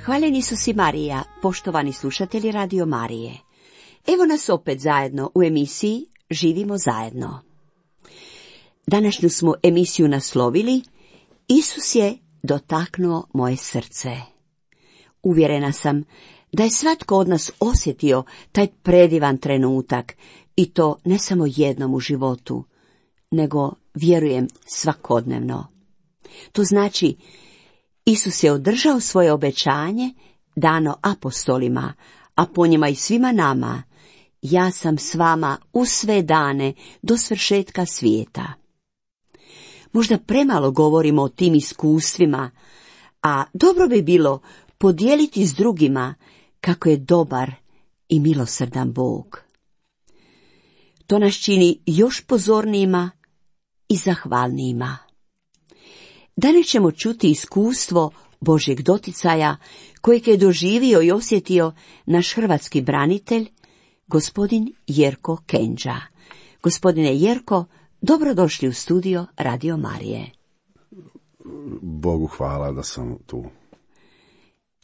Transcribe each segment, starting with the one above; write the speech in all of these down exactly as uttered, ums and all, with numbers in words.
Hvaljeni Isus i Marija, poštovani slušatelji Radio Marije. Evo nas opet zajedno u emisiji Živimo zajedno. Današnju smo emisiju naslovili Isus je dotaknuo moje srce. Uvjerena sam da je svatko od nas osjetio taj predivan trenutak i to ne samo jednom u životu, nego vjerujem svakodnevno. To znači, Isus je održao svoje obećanje dano apostolima, a po njima i svima nama: ja sam s vama u sve dane do svršetka svijeta. Možda premalo govorimo o tim iskustvima, a dobro bi bilo podijeliti s drugima kako je dobar i milosrdan Bog. To nas čini još pozornijima i zahvalnijima. Danas ćemo čuti iskustvo Božjeg doticaja kojeg je doživio i osjetio naš hrvatski branitelj, gospodin Jerko Kendža. Gospodine Jerko, dobrodošli u studio Radio Marije. Bogu hvala da sam tu.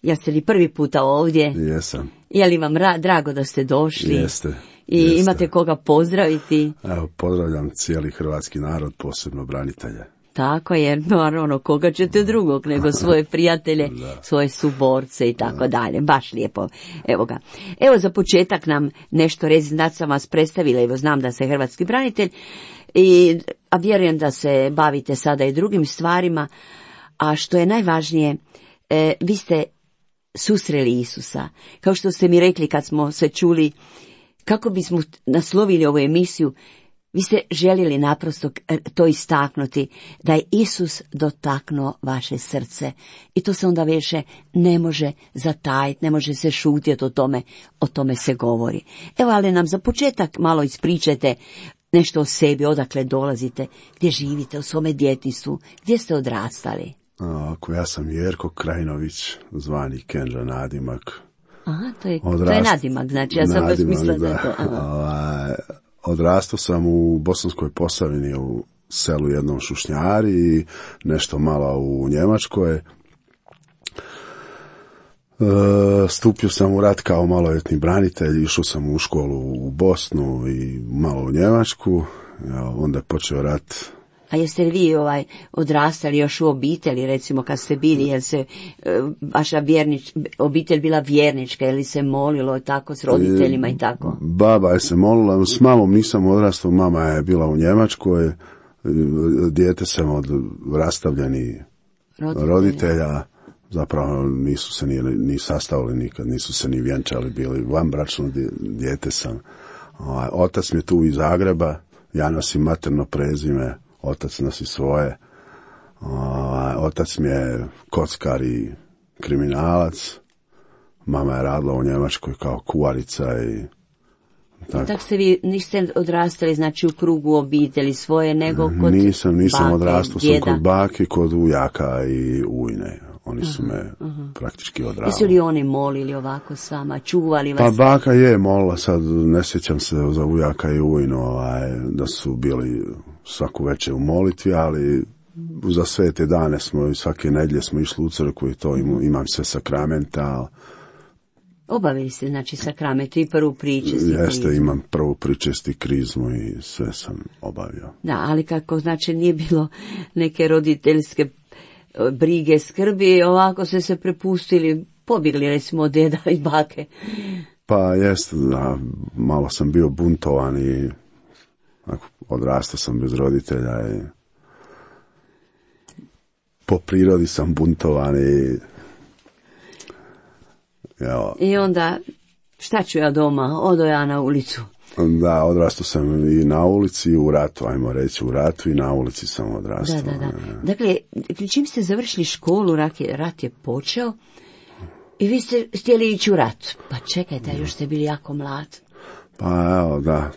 Jeste li prvi puta ovdje? Jesam. Je li vam ra- drago da ste došli? Jeste. I jeste. Imate koga pozdraviti? Evo, pozdravljam cijeli hrvatski narod, posebno branitelje. Tako je, naravno, koga ćete drugog nego svoje prijatelje, svoje suborce i tako dalje. Baš lijepo. Evo ga. Evo za početak nam nešto reći, da sam vas predstavila, evo znam da ste hrvatski branitelj, i, a vjerujem da se bavite sada i drugim stvarima, a što je najvažnije, e, vi ste susreli Isusa. Kao što ste mi rekli kad smo se čuli, kako bismo naslovili ovu emisiju, vi ste željeli naprosto to istaknuti, da je Isus dotaknuo vaše srce. I to se onda više ne može zatajiti, ne može se šutjeti o tome, o tome se govori. Evo, ali nam za početak malo ispričajte nešto o sebi, odakle dolazite, gdje živite u svome djetinjstvu, gdje ste odrastali. Ako ja sam Jerko Krajinović, zvani Kendža nadimak. Aha, to je, Odrast... to je nadimak, znači ja sam baš mislila da je to. Aha. Odrastao sam u Bosanskoj Posavini, u selu jednom Šušnjari i nešto malo u Njemačkoj. E, stupio sam u rat kao maloljetni branitelj, išao sam u školu u Bosnu i malo u Njemačku, onda je počeo rat. A jeste li vi ovaj, odrastali još u obitelji, recimo kad ste bili, jer se e, vaša vjernič, obitelj bila vjernička, ili se molilo tako s roditeljima i tako? Baba je se molila, s mamom nisam odrastao, mama je bila u Njemačkoj, dijete sam od rastavljenih roditelja. roditelja, zapravo nisu se ni, ni sastavili nikad, nisu se ni vjenčali, bili vanbračno dijete sam. Otac mi je tu iz Zagreba, ja nosim materno prezime, otac nosi svoje. Otac mi je kockar i kriminalac. Mama je radila u Njemačkoj kao kuvarica i tako. Tako ste vi niste odrastali, znači, u krugu obitelji svoje, nego kod Nisam, nisam bake, odrastao, sam djeda. kod bake, kod ujaka i ujne. Oni su me uh-huh. praktički odravili. Jesu li oni molili ovako s vama, čuvali vas? Pa baka je molila, sad ne sjećam se za ujaka i ujno, ovaj, da su bili svaku večer u molitvi, ali za sve te dane smo i svake nedjelje smo išli u crkvu i to imam, imam sve sakramenta. Obavili ste, znači, sakrament i prvu pričest i Jeste, krizmu. imam prvu pričest i krizmu i sve sam obavio. Da, ali kako, znači, nije bilo neke roditeljske brige, skrbi, ovako ste se prepustili, pobjegli recimo od deda i bake. Pa jest, da, malo sam bio buntovan i odrastao sam bez roditelja i po prirodi sam buntovan i evo. I onda, šta ću ja doma, odo ja na ulicu. Da, odrastao sam i na ulici i u ratu, ajmo reći u ratu i na ulici sam odrastao. Da, da, da. Dakle, čim ste završili školu, rat je, rat je počeo i vi ste htjeli ići u rat. Pa čekajte, još ste bili jako mlad. Pa evo, da,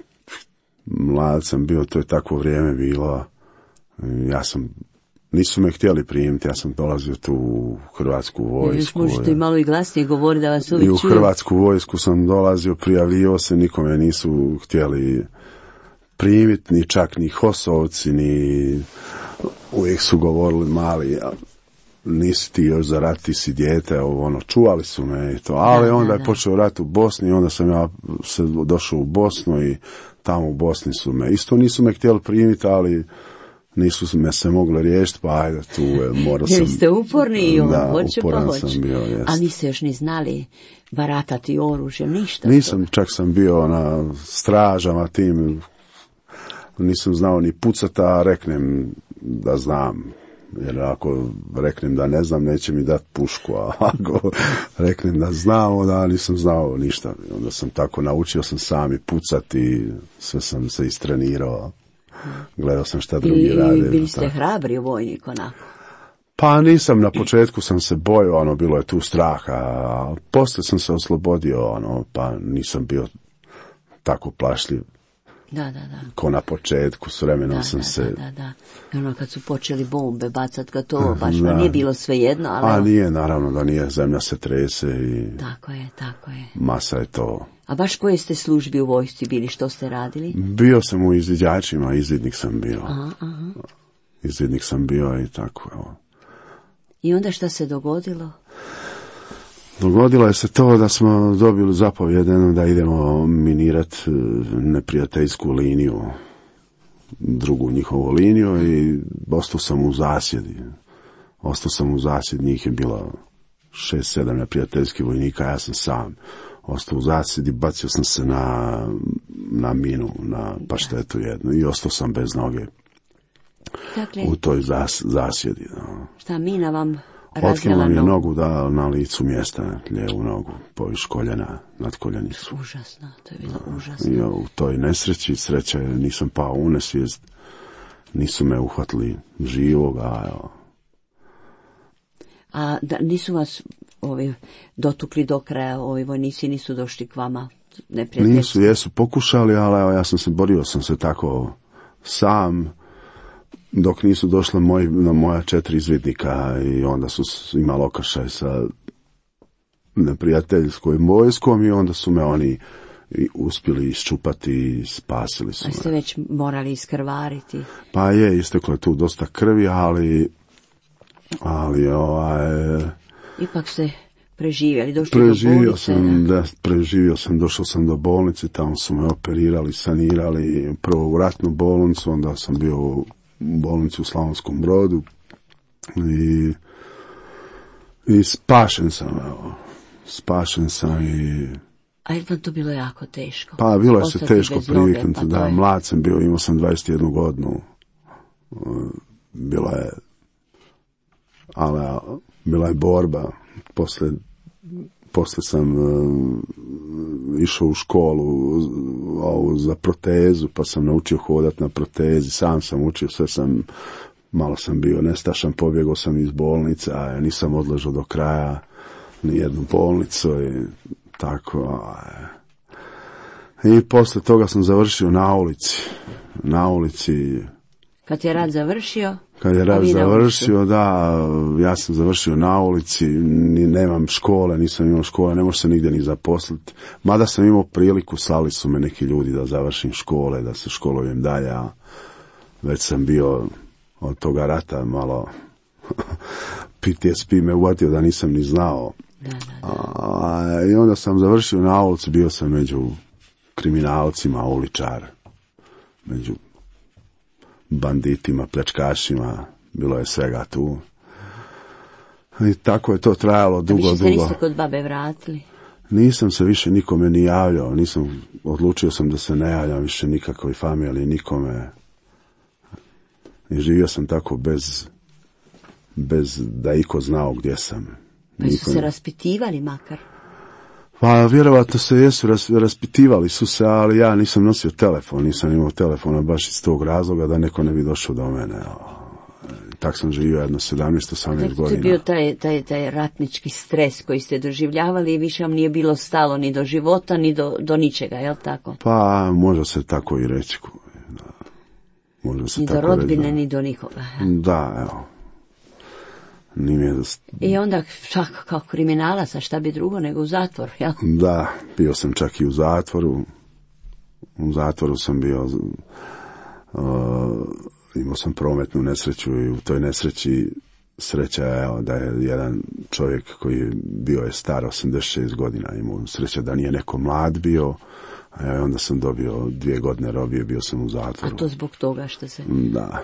mlad sam bio, to je takvo vrijeme bilo. Ja sam, nisu me htjeli primiti, ja sam dolazio tu u Hrvatsku vojsku. Još možete i malo i glasnije govoriti da vas uvijek čuju. I u Hrvatsku vojsku sam dolazio, prijavljivao se, nikome nisu htjeli primiti, ni čak ni hosovci, ni uvijek su govorili mali, nisi ti još za rat, ti si dijete, ono, čuvali su me i to, ali da, onda da, je da. počeo rat u Bosni i onda sam ja se došao u Bosnu i tamo u Bosni su me, isto nisu me htjeli primiti, ali nisu me se mogli riješiti, pa ajde, tu je, morao sam... Bili ste uporni i on da, hoće pa uporan hoće. sam bio, jest. A niste još ni znali baratati oružjem, ništa? Nisam, čak sam bio na stražama tim, nisam znao ni pucati, a reknem da znam. Jer ako reknem da ne znam, neće mi dati pušku, a ako reknem da znam, onda nisam znao ništa. Onda sam tako naučio sam sam i pucati, sve sam se istrenirao. Gledao sam šta drugi I, rade. I bili ste tako. hrabri vojnik onako? Pa nisam, na početku sam se bojao, ono, bilo je tu straha, a poslije sam se oslobodio, ono, pa nisam bio tako plašljiv. Da, da, da. Ko na početku, s vremenom Da, sam da, se... da, da, da. I ono kad su počeli bombe bacat ga to, baš Da. pa nije bilo svejedno, ali... A evo, nije, naravno da nije, zemlja se trese i tako je, tako je. masa je to. A baš koje ste službi u vojsci bili, što ste radili? Bio sam u izviđačima, izvidnik sam bio. Aha, aha. Izvidnik sam bio i tako, evo. I onda šta se dogodilo? Dogodilo je se to da smo dobili zapovjed da idemo minirati neprijateljsku liniju, drugu njihovu liniju i ostao sam u zasjedi. Ostao sam u zasjedi, njih je bilo šest, sedam neprijateljskih vojnika, ja sam sam. Ostao u zasjedi, bacio sam se na, na minu, na paštetu jednu i ostao sam bez noge Dakle, u toj zas, zasjedi. No. šta mina vam Otkinula razvela mi je nogu? nogu da, na licu mjesta, lijevu nogu, poviš koljena, nad koljenicu. Užasno, to je bilo užasno. I u toj nesreći, sreća je, nisam pao u nesvijest, nisu me uhvatili živog, a evo. A da, nisu vas ovi dotukli do kraja, ovi vojnici nisu došli k vama? Neprijateljski? Nisu, jesu pokušali, ali evo, ja sam se borio, sam se tako sam, dok nisu došla moj, na moja četiri izvidnika i onda su imali okršaj sa neprijateljskom vojskom i onda su me oni i uspjeli iščupati i spasili su A me. ste već morali iskrvariti? Pa je, isteklo je tu dosta krvi, ali ali ovaj, Ipak ste preživjeli, došli preživio do bolnice? sam, da, preživio sam, došao sam do bolnice, tamo su me operirali, sanirali, prvo u ratnu bolnicu, onda sam bio u bolnici u Slavonskom Brodu i, i spašen sam, evo, spašen sam i... A je vam to bilo jako teško? Pa bilo je se Ostati teško bez noge, priviknuti, pa to da, je- mlad sam bio, imao sam dvadeset jednu godinu, bila je, ali a, bila je borba, poslije, poslije sam uh, išao u školu uh, ovu, za protezu, pa sam naučio hodati na protezi, sam sam učio, sve sam, malo sam bio nestašan, pobjegao sam iz bolnice, a ja nisam odležao do kraja ni jednu bolnicu i tako, a, i poslije toga sam završio na ulici, na ulici. Kad je rat završio? Kad je a rat vi na završio, da, ja sam završio na ulici, ni, nemam škole, nisam imao škole, ne može se nigdje ni zaposliti. Mada sam imao priliku, slali su me neki ljudi da završim škole, da se školujem dalje, a već sam bio od toga rata malo P T S P me uvatio da nisam ni znao. Da, da, da. A, i onda sam završio na ulici, bio sam među kriminalcima, uličar, među banditima, pljačkašima, bilo je svega tu. I tako je to trajalo dugo, Više se dugo. niste kod babe vratili? Nisam se više nikome ni javljao, nisam, odlučio sam da se ne javljam više nikakvoj familiji, nikome. I živio sam tako bez, bez da iko znao gdje sam. Pa su Niko- se raspitivali makar? Pa vjerovatno se jesu, ras, raspitivali su se, ali ja nisam nosio telefon, nisam imao telefona baš iz tog razloga da neko ne bi došao do mene. Tak sam živio jedno sedamnaest osamnaest To je bio godina. taj, taj, taj ratnički stres koji ste doživljavali i više vam nije bilo stalo ni do života, ni do, do ničega, jel tako? Pa može se tako i reći. Da. Može se Ni do tako rodbine, reći, ni do nikoga. da. Da, evo. Ni mi je, I onda čak kao kriminalac, a šta bi drugo nego u zatvor, jel? da, bio sam čak i u zatvoru. U zatvoru sam bio, uh, imao sam prometnu nesreću i u toj nesreći sreća je evo, da je jedan čovjek koji bio je star osamdeset šest godina, imao sreća da nije neko mlad bio, a onda sam dobio dvije godine robije, bio sam u zatvoru. A to zbog toga što se... Da.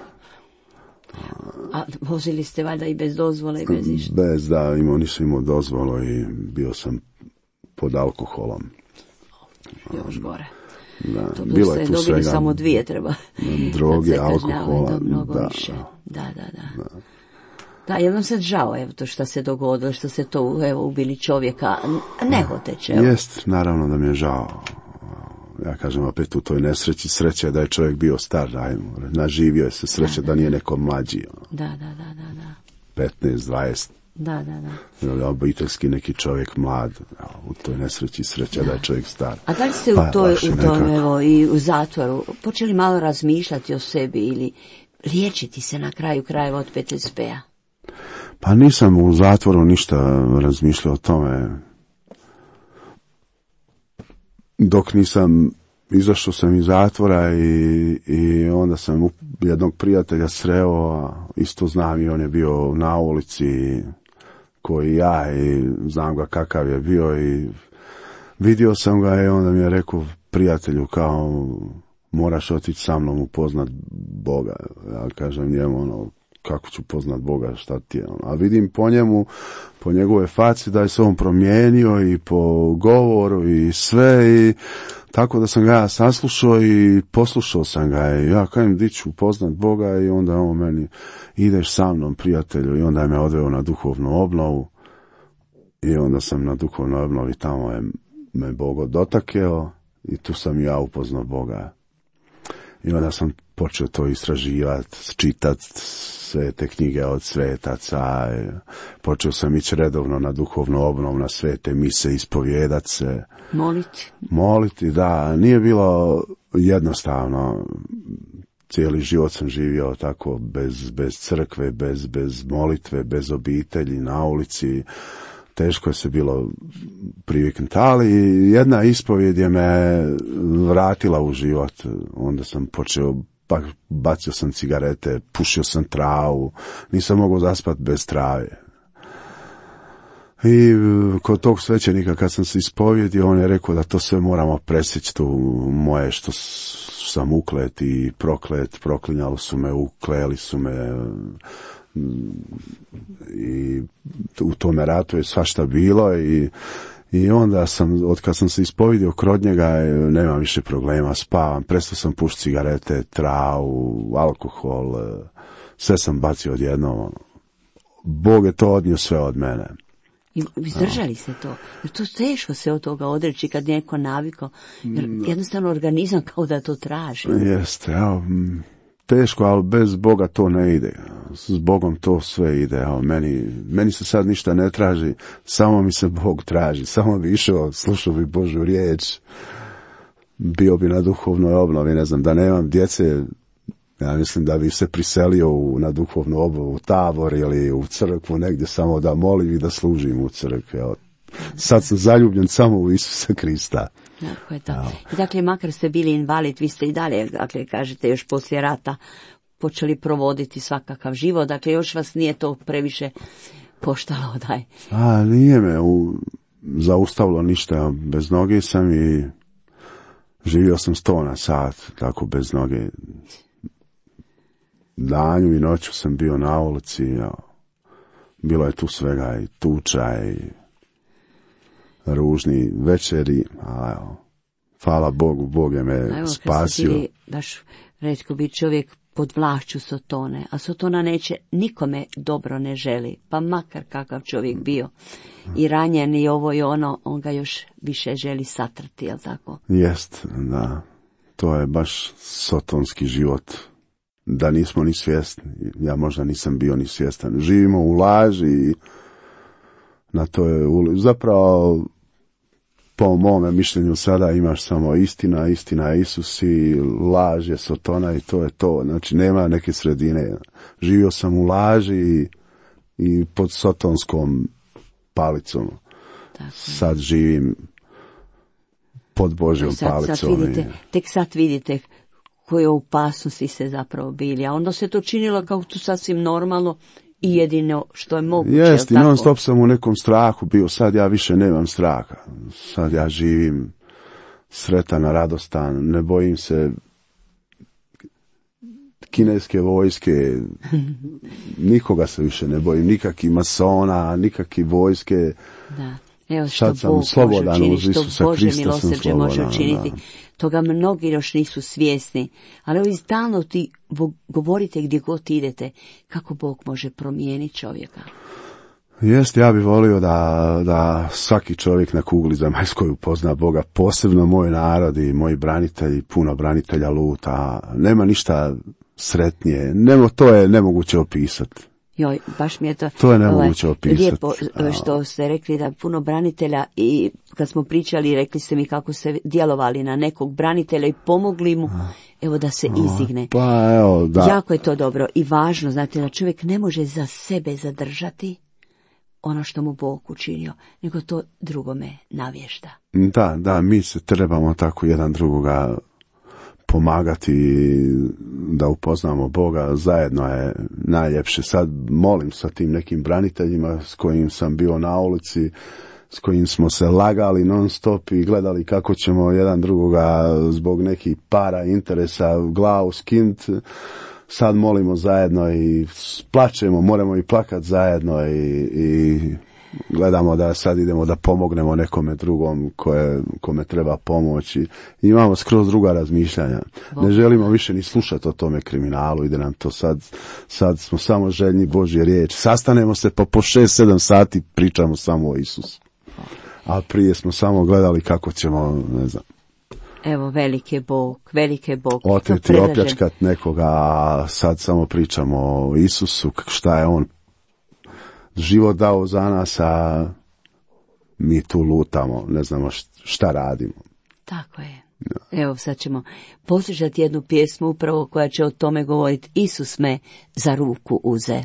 A vozili ste valjda i bez dozvole i bez ništa? Bez, da, imao, nisam imao dozvolu i bio sam pod alkoholom. Još gore. Da, to bilo je tu dobili svega. Samo dvije treba. Droge, alkohola. Mnogo da, više. Da, da, da. da. Da, jednom sad žao, evo to što se dogodilo, što se to, evo, ubili čovjeka, nehoteće. Jest, naravno da mi je žao. Ja kažem opet u toj nesreći, sreća je da je čovjek bio star, ajmo, naživio je se, sreća da, da, da nije neko mlađi. Da, da, da, da, da. petnaest, dvadeset. Da, da, da. Obiteljski neki čovjek mlad, u toj nesreći sreća da, da je čovjek star. A da li ste pa, u, toj, u tom, evo, i u zatvoru počeli malo razmišljati o sebi ili liječiti se na kraju krajeva od P T S P-a? Pa nisam u zatvoru ništa razmišljao o tome. Dok nisam, izašao sam iz zatvora i, i onda sam jednog prijatelja sreo, isto znam i on je bio na ulici koji ja i znam ga kakav je bio i vidio sam ga i onda mi je rekao prijatelju kao moraš otići sa mnom upoznat Boga. Ja kažem njemu ono kako ću poznat Boga, šta ti je ono. A vidim po njemu, po njegove faci da je se on promijenio i po govoru i sve i tako da sam ga ja saslušao i poslušao sam ga i ja kajem di ću poznat Boga i onda on meni ideš sa mnom prijatelju i onda je me odveo na duhovnu obnovu i onda sam na duhovnoj obnovi tamo je me Bog dotakeo i tu sam ja upoznao Boga. I onda sam počeo to istraživati, čitati sve te knjige od svetaca, počeo sam ići redovno na duhovnu obnovu, na sve te mise, ispovjedat se. Moliti. Moliti, da, nije bilo jednostavno. Cijeli život sam živio tako, bez, bez crkve, bez, bez molitve, bez obitelji, na ulici. Teško je se bilo priviknuti, ali jedna ispovjed je me vratila u život. Onda sam počeo, pa bacio sam cigarete, pušio sam travu, nisam mogao zaspati bez trave. I kod tog svećenika kad sam se ispovjedio, on je rekao da to sve moramo presjeći, tu moje što sam uklet i proklet, proklinjali su me, ukleli su me. I u tome ratu je svašta bilo i, i onda sam, od kad sam se ispovidio krod njega, nema više problema, spavam, prestao sam pušiti cigarete, travu, alkohol, sve sam bacio odjednom. Bog je to odnio sve od mene. I izdržali ste to, jer to teško se od toga odreći kad neko naviko, jer jednostavno organizam kao da to traži. Jeste, evo, teško, ali bez Boga to ne ide. S Bogom to sve ide. Evo, meni, meni se sad ništa ne traži, samo mi se Bog traži. Samo bi išao, slušao bi Božju riječ, bio bi na duhovnoj obnovi, ne znam, da nemam djece, ja mislim da bi se priselio u, na duhovnu obnovu, u tabor ili u crkvu, negdje samo da molim i da služim u crkvi. Evo, sad sam zaljubljen samo u Isusa Krista. Tako je to. I dakle, makar ste bili invalid, vi ste i dalje, dakle, kažete, još poslije rata počeli provoditi svakakav život, dakle, još vas nije to previše koštalo, daj. A, nije me u, zaustavilo ništa, bez noge sam i živio sam sto na sat, tako bez noge. Danju i noću sam bio na ulici, ja. Bilo je tu svega i tuča i ružni večeri, a evo, hvala Bogu, Bog je me evo, spasio. Evo, kad ste bili, baš retko biti čovjek pod vlašću Sotone, a Sotona neće, nikome dobro ne želi, pa makar kakav čovjek bio i ranjen i ovo i ono, on ga još više želi satrati, jel tako? Jest, da, to je baš sotonski život, da nismo ni svjesni, ja možda nisam bio ni svjestan, živimo u laži i na to je zapravo po mome mišljenju sada imaš samo istina, istina je Isus i laž je Sotona i to je to. Znači nema neke sredine. Živio sam u laži i, i pod sotonskom palicom. Tako. Sad živim pod Božjom sad, palicom. Sad vidite, tek sad vidite koje opasnosti ste zapravo bili. A onda se to činilo kao tu sasvim normalno. i jedino što je moguće. Jest, i non stop sam u nekom strahu bio, sad ja više nemam straha. Sad ja živim sretan, radostan, ne bojim se kineske vojske, nikoga se više ne bojim, nikakvih masona, nikakvih vojske. Da. Evo što sad sam Bog slobodan može uz Isusa što Bože Krista sam milosrđe slobodan. može učiniti. Da. Toga mnogi još nisu svjesni, ali ovi stalno ti govorite gdje god idete kako Bog može promijeniti čovjeka. Jest, ja bih volio da, da svaki čovjek na kugli zemaljskoj upozna Boga, posebno moj narod i moji branitelji, puno branitelja luta, nema ništa sretnije, Nemo, to je nemoguće opisati. Joj, baš mi je to, to je nemoguće ovaj, opisati. Lijepo što ste rekli da puno branitelja i kad smo pričali, rekli ste mi kako ste djelovali na nekog branitelja i pomogli mu, evo da se izdigne. Pa, evo, da. Jako je to dobro i važno, znate da čovjek ne može za sebe zadržati ono što mu Bog učinio, nego to drugome navješta. Da, da, mi se trebamo tako jedan drugoga pomagati da upoznamo Boga, zajedno je najljepše. Sad molim sa tim nekim braniteljima s kojim sam bio na ulici, s kojim smo se lagali non stop i gledali kako ćemo jedan drugoga zbog nekih para, interesa glavu skint. Sad molimo zajedno i plačemo, moramo i plakat zajedno i, i gledamo da sad idemo da pomognemo nekome drugom koje, kome treba pomoći. Imamo skroz druga razmišljanja. Ne želimo više ni slušati o tome kriminalu, ide nam to sad, sad smo samo željni Božje riječi. Sastanemo se pa po šest sedam sati pričamo samo o Isusu. A prije smo samo gledali kako ćemo, ne znam, evo, veliki je Bog, veliki je Bog. oteti, opljačkat nekoga, a sad samo pričamo o Isusu, šta je on život dao za nas, a mi tu lutamo, ne znamo šta radimo. Tako je. Evo, sad ćemo poslušati jednu pjesmu upravo koja će o tome govoriti. Isus me za ruku uze.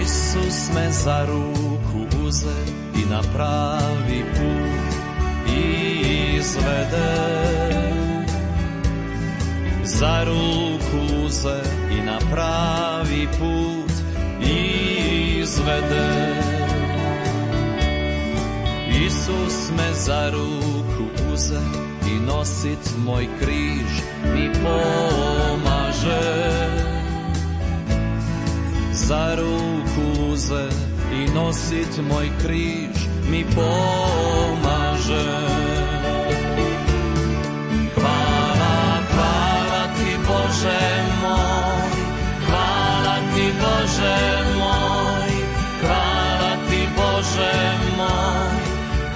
Isus me za ruku uze i na pravi put izvede. Za ruku uze i na pravi put izvede. Isus me za ruku uze i nosit moj križ mi pomaže. Za ruku uze i nosit moj križ mi pomaže. Hvala, hvala ti Bože moj, hvala ti Bože moj, hvala ti Bože moj,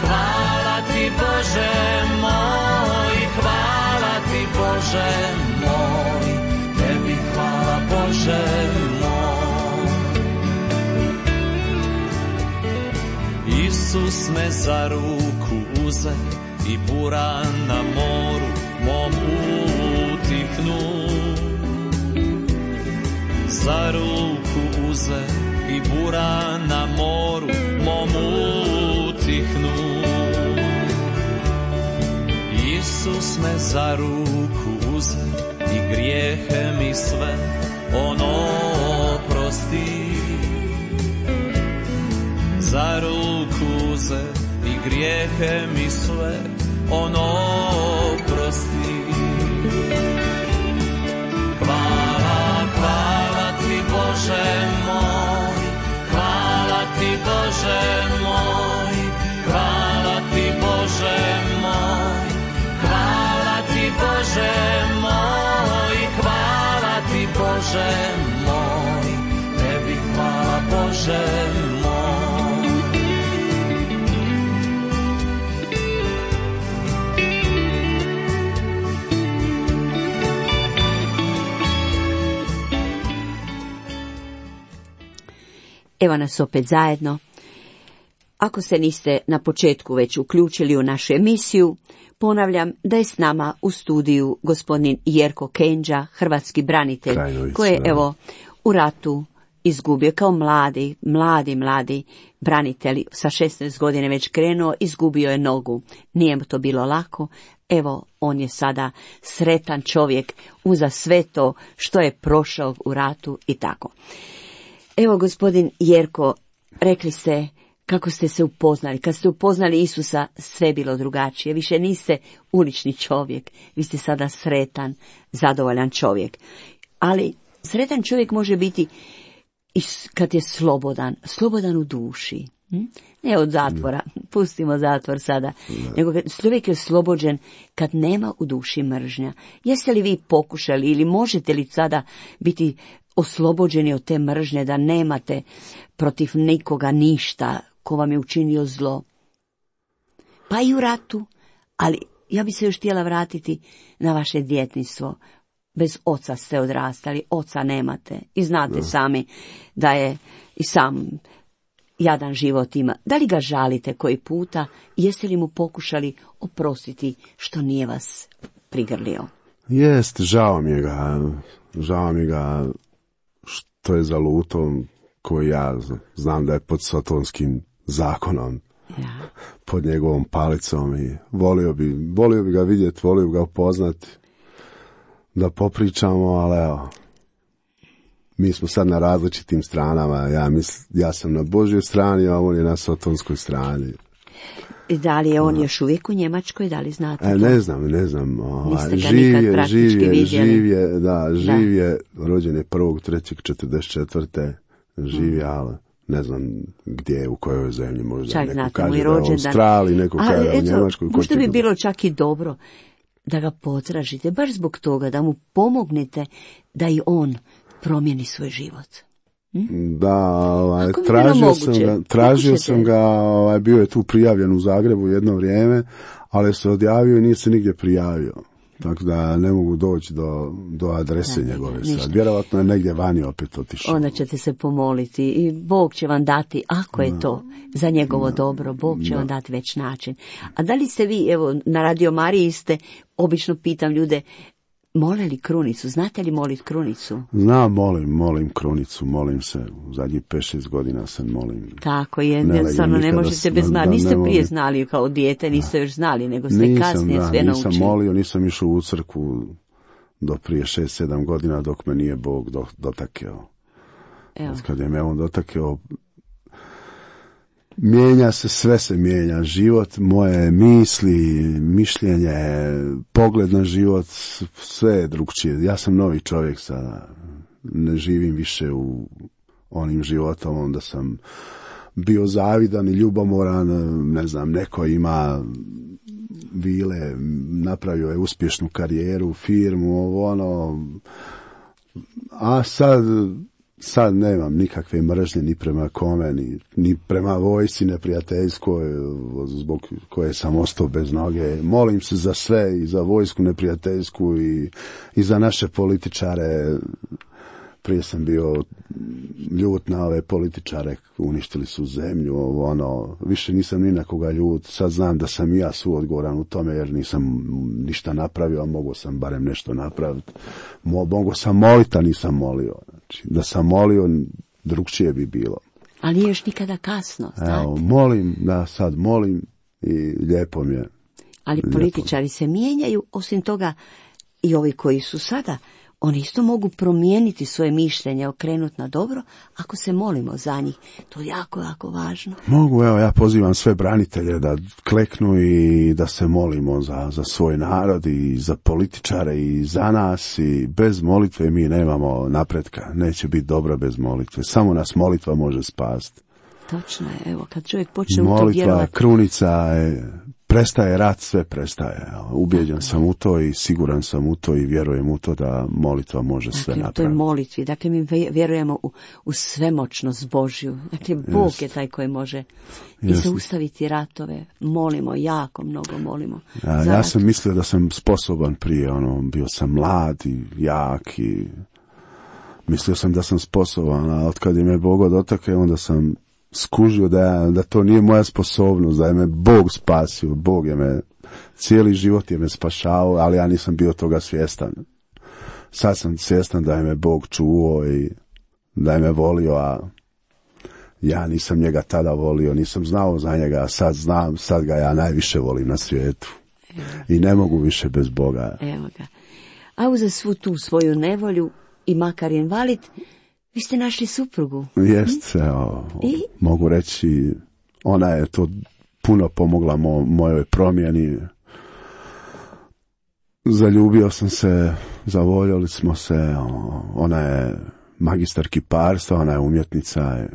hvala ti Bože moj, hvala ti Bože moj, tebi hvala Bože moj. Isus me za ruku uze i bura na moru mom utihnu. Za ruku uze i bura na moru mom utihnu. Isus me za ruku uze i grijehe mi sve ono oprosti. Za ruku uze i grijehe mi sve ono oprosti. Hvala, hvala ti Bože moj, hvala ti Bože moj, hvala ti Bože moj, hvala ti Bože moj, hvala ti Bože moj, tebi hvala Bože moj. Evo nas opet zajedno. Ako se niste na početku već uključili u našu emisiju, ponavljam da je s nama u studiju gospodin Jerko Kenđa, hrvatski branitelj, koji je evo u ratu izgubio kao mladi, mladi, mladi branitelj, sa šesnaest godine već krenuo, izgubio je nogu. Nije mu to bilo lako. Evo, on je sada sretan čovjek uza sve to što je prošao u ratu i tako. Evo, gospodin Jerko, rekli ste kako ste se upoznali. Kad ste upoznali Isusa, sve je bilo drugačije. Više niste ulični čovjek. Vi ste sada sretan, zadovoljan čovjek. Ali sretan čovjek može biti i kad je slobodan, slobodan u duši. Hm? Ne od zatvora, pustimo zatvor sada, nego kad čovjek je oslobođen kad nema u duši mržnja. Jeste li vi pokušali ili možete li sada biti oslobođeni od te mržnje, da nemate protiv nikoga ništa ko vam je učinio zlo? Pa i u ratu, ali ja bi se još htjela vratiti na vaše djetinjstvo. Bez oca ste odrastali, oca nemate i znate da. Sami da je i sam jadan život ima. Da li ga žalite koji puta? Jeste li mu pokušali oprostiti što nije vas prigrlio? Jest, žao mi je ga, žao mi ga što je zaluto, koji ja znam da je pod sotonskim zakonom, ja. Pod njegovom palicom i volio bi, volio bi ga vidjeti, volio bi ga upoznati, da popričamo, ali evo, mi smo sad na različitim stranama, ja, misl, ja sam na Božjoj strani, a on je na sotonskoj strani. I da li je on još uvijek u Njemačkoj, da li znate? E, ne znam, ne znam. Ovaj, živ je, živ je, živ je, da, živ je, rođen je prvog trećeg četrdeset četvrte živ je, ali ne znam gdje, u kojoj zemlji, možda čak neko znate, kaže da je u rođendan. Australiji, neko A, kaže da je u eto, Njemačkoj. Možda bi bilo čak i dobro da ga potražite, baš zbog toga, da mu pomognete da i on promijeni svoj život. Hm? Da, ovaj, tražio sam ga, tražio sam ga, ovaj, bio je tu prijavljen u Zagrebu jedno vrijeme, ali se odjavio i nije se nigdje prijavio. Tako da ne mogu doći do, do adrese da, njegove sad. Vjerovatno je negdje vani opet otišao. Onda ćete se pomoliti i Bog će vam dati, ako je da. To za njegovo da. Dobro, Bog će da. Vam dati već način. A da li ste vi, evo, na Radio Mariji ste, obično pitam ljude, mole li krunicu? Znate li molit krunicu? Znam, molim, molim krunicu, molim se. U zadnjih pet šest godina se molim. Tako je, jednostavno ne možete bez znati. Niste prije znali kao dijete, niste još znali, nego ste nisam, kasnije da, sve naučili. Nisam molio, nisam išao u crkvu do prije šest sedam godina dok me nije Bog do, dotakeo. Evo. Kad je me on dotakeo, mijenja se, sve se mijenja, život, moje misli, mišljenje, pogled na život, sve je drugčije. Ja sam novi čovjek sada, ne živim više u onim životom, onda sam bio zavidan i ljubomoran, ne znam, neko ima vile, napravio je uspješnu karijeru, firmu, ovo ono, a sad... Sad nemam nikakve mržnje ni prema kome, ni, ni prema vojsci neprijateljskoj, zbog koje sam ostao bez noge. Molim se za sve, i za vojsku neprijateljsku, i, i za naše političare. Prije sam bio ljut na ove političare, uništili su zemlju, ovo, ono, više nisam ni na koga ljut. Sad znam da sam i ja suodgovoran u tome, jer nisam ništa napravio, a mogao sam barem nešto napraviti. Mo, mogao sam moliti, a nisam molio. Znači, da sam molio, drugčije bi bilo. Ali nije još nikada kasno, znate. Evo, molim, da sad molim i lijepo mi je. Ali lijepo. Političari se mijenjaju, osim toga i ovi koji su sada, oni isto mogu promijeniti svoje mišljenje, okrenuti na dobro, ako se molimo za njih. To je jako, jako važno. Mogu, evo, ja pozivam sve branitelje da kleknu i da se molimo za, za svoj narod i za političare i za nas, i bez molitve mi nemamo napretka. Neće biti dobro bez molitve. Samo nas molitva može spasti. Točno je, evo, kad čovjek počne u to molitva, vjerovati. krunica je... Prestaje rat, sve prestaje. Ubjeđen sam u to i siguran sam u to i vjerujem u to da molitva može dakle, sve napraviti. Dakle, u toj molitvi, dakle mi vjerujemo u, u svemoćnost Božju. Dakle, Bog Just. Je taj koji može i zaustaviti ratove. Molimo, jako mnogo molimo. Ja, ja sam mislio da sam sposoban prije, ono, bio sam mlad i jak i mislio sam da sam sposoban, a od kad je me Bog dotakao, onda sam skužio da, da to nije moja sposobnost, da je me Bog spasio, Bog je me, cijeli život je me spašao, ali ja nisam bio toga svjestan. Sad sam svjestan da je me Bog čuvao i da je me volio, a ja nisam njega tada volio, nisam znao za njega, a sad znam, sad ga ja najviše volim na svijetu. I ne mogu više bez Boga. Evo ga. A uza svu tu svoju nevolju i makar invalid, vi ste našli suprugu. Jest, evo, I? mogu reći, ona je to puno pomogla mo, mojoj promjeni. Zaljubio sam se, zavoljeli smo se, ona je magistar kiparstva, ona je umjetnica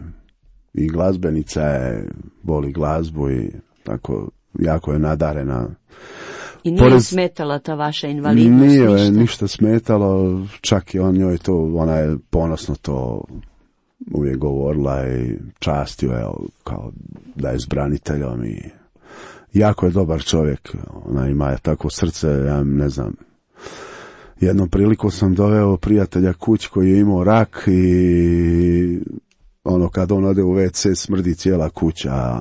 i glazbenica je, voli glazbu i tako jako je nadarena. I nije Porez... smetala ta vaša invalidnost? Nije ništa? ništa smetalo, čak i on njoj to, ona je ponosno to uvijek govorila i častio je kao da je s braniteljom i jako je dobar čovjek, ona ima tako srce, ja ne znam. Jednom priliku sam doveo prijatelja kući koji je imao rak i ono kad on ode u ve ce smrdi cijela kuća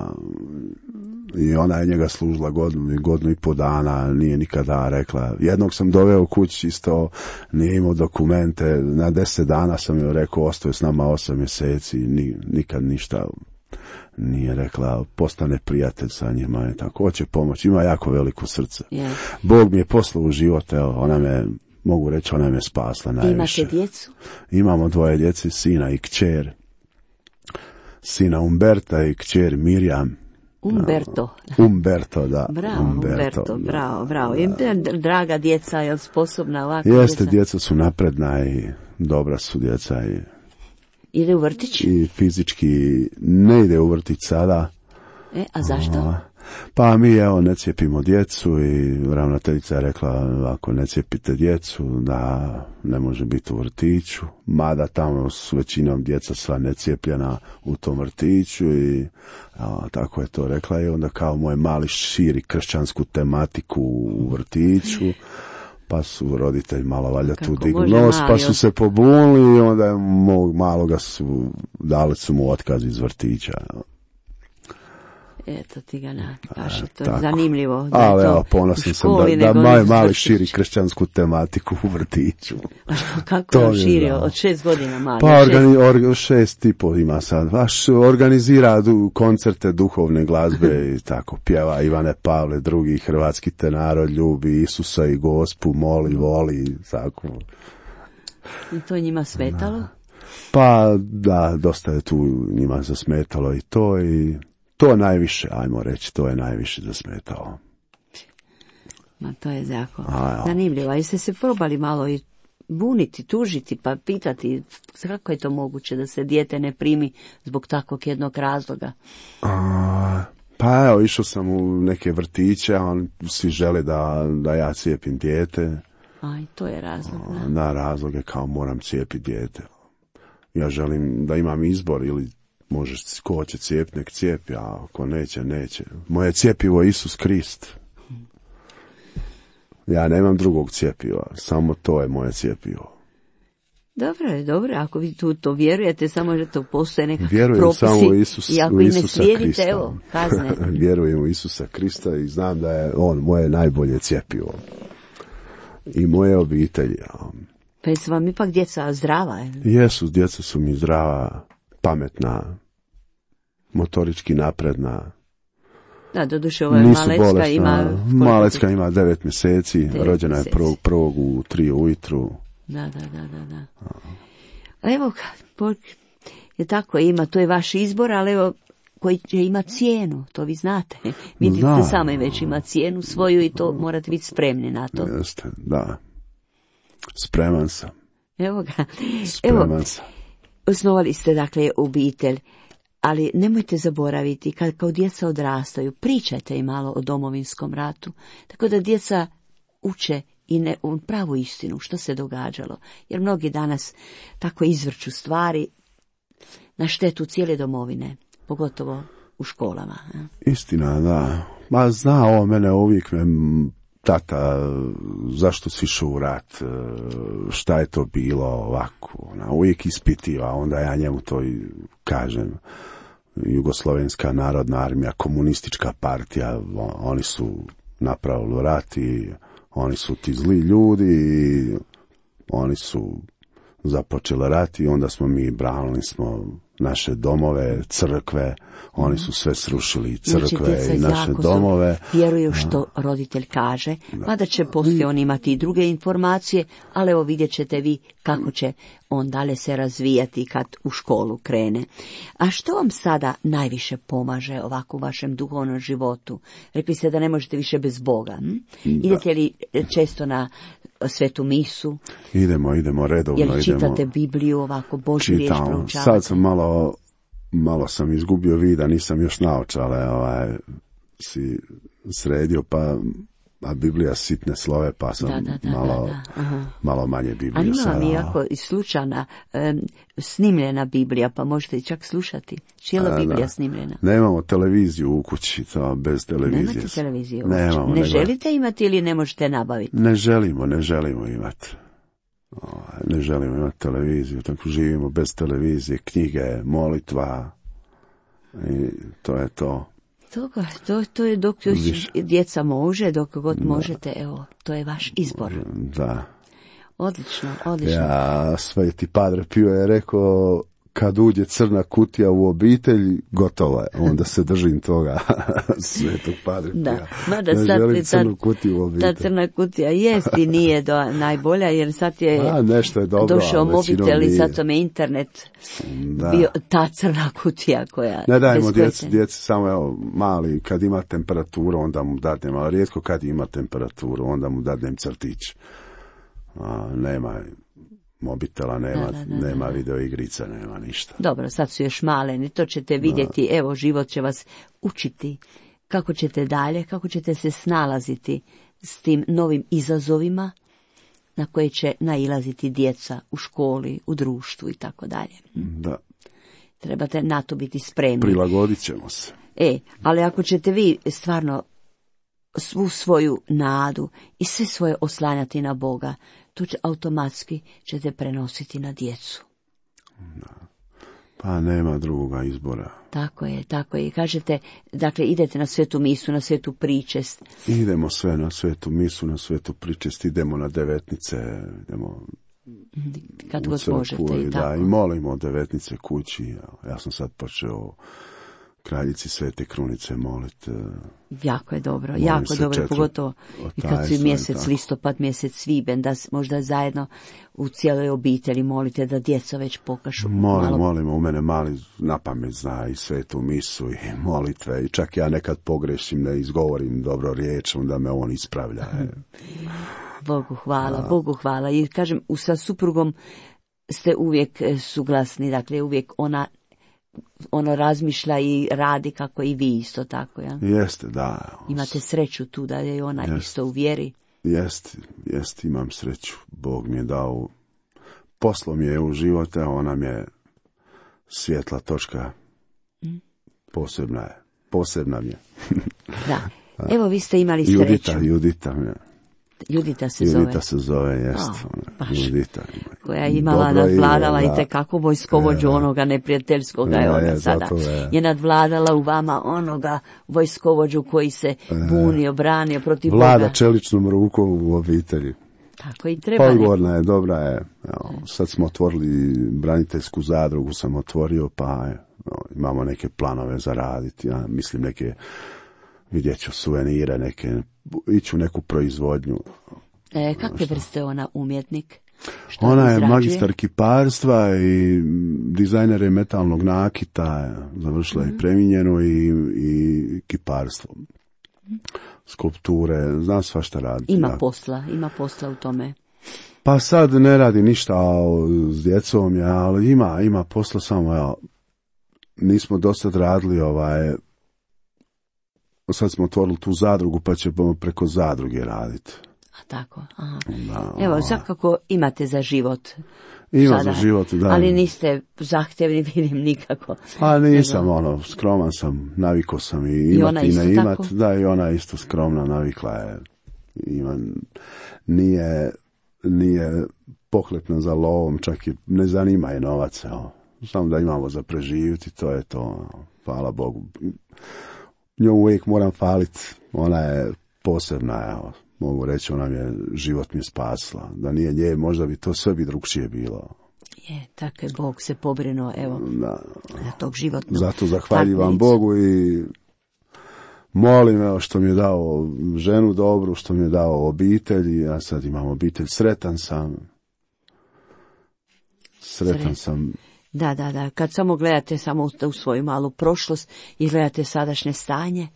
i ona je njega služila godinu, godinu i po dana, nije nikada rekla. Jednog sam doveo u kući isto, nije imao dokumente, na deset dana sam joj rekao ostaje s nama osam mjeseci, ni, nikad ništa nije rekla, postane prijatelj sa njima i tako, hoće pomoći, ima jako veliko srce. Yeah. Bog mi je poslao u život, evo, ona me, mogu reći, ona me spasla najviše. Imate djecu? Imamo dvoje djece, sina i kćer. Sina Umberta i kćer Mirjam. Umberto. Umberto, da. Bravo, Umberto, Umberto da. bravo, bravo. I draga djeca, je li sposobna ovako? Jeste, djeca? djeca su napredna i dobra su djeca i ide u vrtić? I fizički ne ide u vrtić sada. E, a zašto? A, pa mi, evo, ne cijepimo djecu i ravnateljica je rekla, ako ne cijepite djecu, da ne može biti u vrtiću. Mada tamo su većinom djeca sva necijepljena u tom vrtiću i a, tako je to rekla i onda kao moj mali širi kršćansku tematiku u vrtiću. Pa su roditelji malo valjda tu digli nos, pa su se pobunili i onda je mog maloga su, dali su mu otkaz iz vrtića. Eto ti ga nakaš, to je zanimljivo. Da ali evo, ponosan sam da, da maj mali širi kršćansku tematiku u vrtiću. A što, kako je širio? Od šest godina mali? Pa organi, or, šest i pol ima sad. Vaš organizira du, koncerte duhovne glazbe i tako. Pjeva Ivane Pavle, drugi hrvatski tenaro, ljubi Isusa i Gospu, moli, voli, tako. I to njima smetalo? Da. Pa da, dosta je tu njima zasmetalo i to i to najviše, ajmo reći, to je najviše zasmetalo. Ma to je jako zanimljivo. A jeste se probali malo i buniti, tužiti, pa pitati kako je to moguće da se dijete ne primi zbog takvog jednog razloga? A, pa evo, išao sam u neke vrtiće, a oni svi žele da, da ja cijepim dijete. A i to je razlog. Da, da razlog je kao moram cijepiti dijete. Ja želim da imam izbor ili možeš, ko hoće cijepiti, nek cijepi, a ako neće, neće. Moje cijepivo je Isus Krist. Ja nemam drugog cijepiva, samo to je moje cijepivo. Dobro je, dobro, ako vi tu to vjerujete, samo da to postoje nekakvi Vjerujem propisi. Samo u, Isus, i ako u Isusa ne slijedite, Krista. Evo, kazne. Vjerujem u Isusa Krista i znam da je on moje najbolje cijepivo. I moje obitelji. Pa jesu vam ipak djeca zdrava? Je? Jesu, djeca su mi zdrava, pametna, motorički napredna. Da, doduše ova Malecka bolesna. ima... Malecka ima devet mjeseci, devet rođena mjeseci. Je prvog, prvog u tri ujutru. Da, da, da, da. da. A evo, je tako, ima, to je vaš izbor, ali evo, koji će imati cijenu, to vi znate. Vidite se sami već ima cijenu svoju i to morate biti spremni na to. Jeste, da. Spreman sam. Evo ga. Spreman evo, sam. Osnovali ste, dakle, obitelj, ali nemojte zaboraviti, kad kao djeca odrastaju, pričajte im malo o Domovinskom ratu, tako da djeca uče i ne, pravu istinu, što se događalo. Jer mnogi danas tako izvrću stvari na štetu cijele domovine, pogotovo u školama. Istina, da. Ma zna ovo mene uvijek me... Tata, zašto si išao u rat, šta je to bilo ovako, ona uvijek ispitiva, onda ja njemu to i kažem, Jugoslovenska narodna armija, komunistička partija, oni su napravili rat i oni su ti zli ljudi i oni su započela rat i onda smo mi branili smo naše domove, crkve, oni su sve srušili, i crkve znači, i naše domove. Vjeruju što a, roditelj kaže, mada će poslije on imati i druge informacije, ali evo vidjet ćete vi kako će on dalje se razvijati kad u školu krene. A što vam sada najviše pomaže ovako u vašem duhovnom životu? Rekli ste da ne možete više bez Boga. Hm? Idete li često na svetu misu? Idemo, idemo redovno. Jel čitate idemo, Bibliju ovako, Božju riječ proučavate? Sad sam malo, malo sam izgubio vida, nisam još naočale, ovaj, si sredio, pa a Biblija sitne slove, pa sam da, da, da, malo, da, da. malo manje Biblije. Ali ima sada. mi jako slučana, um, snimljena Biblija, pa možete i čak slušati. Cijela A, Biblija da. snimljena. Nemamo televiziju u kući, to bez televizije. Nemate televiziju? Nemamo, ne nego... želite imati ili ne možete nabaviti? Ne želimo, ne želimo imati. Ne želimo imati televiziju, tako živimo bez televizije, knjige, molitva i to je to. Toga, to, to je dok još djeca može, dok god da. možete, evo, to je vaš izbor. Da. Odlično, odlično. Ja, Sveti Padre Pio je rekao, kad uđe crna kutija u obitelj, gotovo je. Onda se držim toga Svetog Padre Pija. Da, mada ne sad želim ta, crnu kutiju u obitelj. ta crna kutija jest i nije do, najbolja, jer sad je a, nešto je dobro, došao mobitel i sad tome internet da. bio ta crna kutija koja... Ne dajemo djeci, djeci samo evo, mali, kad ima temperaturu, onda mu dadnem, ali rijetko kad ima temperaturu, onda mu dadnem crtić. A, nema mobitela, nema, da, da, da, nema da. video igrica, nema ništa. Dobro, sad su još maleni, to ćete vidjeti, da. Evo, život će vas učiti kako ćete dalje, kako ćete se snalaziti s tim novim izazovima na koje će nailaziti djeca u školi, u društvu i tako dalje. Da. Trebate na to biti spremni. Prilagodit ćemo se. E, ali ako ćete vi stvarno svu svoju nadu i sve svoje oslanjati na Boga, to će automatski ćete prenositi na djecu. Da. Pa nema drugoga izbora. Tako je, tako je. Kažete, dakle, idete na svetu misu, na svetu pričest. Idemo sve na svetu misu, na svetu pričest, idemo na devetnice, idemo kad u god crkvu, možete i da, tako. i molimo devetnice kući. Ja sam sad počeo kraljici Svete Krunice moliti. Jako je dobro, jako dobro, četiri, pogotovo i kad su mjesec listopad, mjesec sviben, da možda zajedno u cijeloj obitelji molite da djeca već pokašu. Molim, malo... molimo, u mene mali na pamet zna i svetu misu i molitve i čak ja nekad pogrešim, ne izgovorim dobro riječ, onda me on ispravlja. Bogu hvala, a... Bogu hvala. I kažem, sa suprugom ste uvijek suglasni, dakle uvijek ona ono razmišlja i radi kako i vi isto tako, ja? Jeste, da. Imate sreću tu da je ona jest, isto u vjeri. Jest, jest, imam sreću. Bog mi je dao, poslo mi je u živote, ona mi je svjetla točka. Mm. Posebna je, posebna mi je. Da, evo vi ste imali Judita, sreću. Judita mi je. Judita se Judita zove. Judita se zove, jest. Oh, Judita. Koja je imala, nadvladala i tekako vojskovođu onoga neprijateljskoga je ona sada. Je. je nadvladala u vama onoga vojskovođu koji se bunio, branio protiv Boga. Vlada čeličnom rukom u obitelji. Tako i treba. Odgovorna je, dobra je. Evo, sad smo otvorili braniteljsku zadrugu, sam otvorio, pa evo, imamo neke planove za raditi. Ja mislim neke, vidjet ću suvenire, neke, ići u neku proizvodnju. E, kakve vrste ona umjetnik? Što ona je izrađuje? Magistar kiparstva i dizajner je metalnog nakita, završila je mm-hmm. preminjeno i, i kiparstvo. Mm-hmm. Skulpture, znam svašta raditi. Ima da. posla, ima posla u tome. Pa sad ne radi ništa s djecom, ja, ali ima, ima posla samo, ja, nismo do sad radili ovaj, sad smo otvorili tu zadrugu, pa ćemo preko zadruge raditi. A tako, aha. Da, evo, svakako imate za život. Ima sada, za život, da. Ali niste zahtjevni, vidim nikako. A nisam, nego... ono, skroman sam, navikao sam i imati i, i ne imat. Tako? Da, i ona isto skromna, navikla je. Ima, nije, nije pohlepna za lovom, čak i ne zanima je novac, evo. Samo da imamo za preživjeti, to je to, hvala Bogu. Nju uvijek moram faliti, ona je posebna, evo. Mogu reći, ona mi je, život mi je spasla. Da nije nje, možda bi to sve bi drugčije bilo. Je, tako je Bog se pobrinuo, evo, da. na tog životnog. Zato zahvaljivam Bogu i molim, evo, što mi je dao ženu dobru, što mi je dao obitelj, ja sad imam obitelj, sretan sam. Sretan Sret. sam. Da, da, da, kad samo gledate samo u svoju malu prošlost i gledate sadašnje stanje,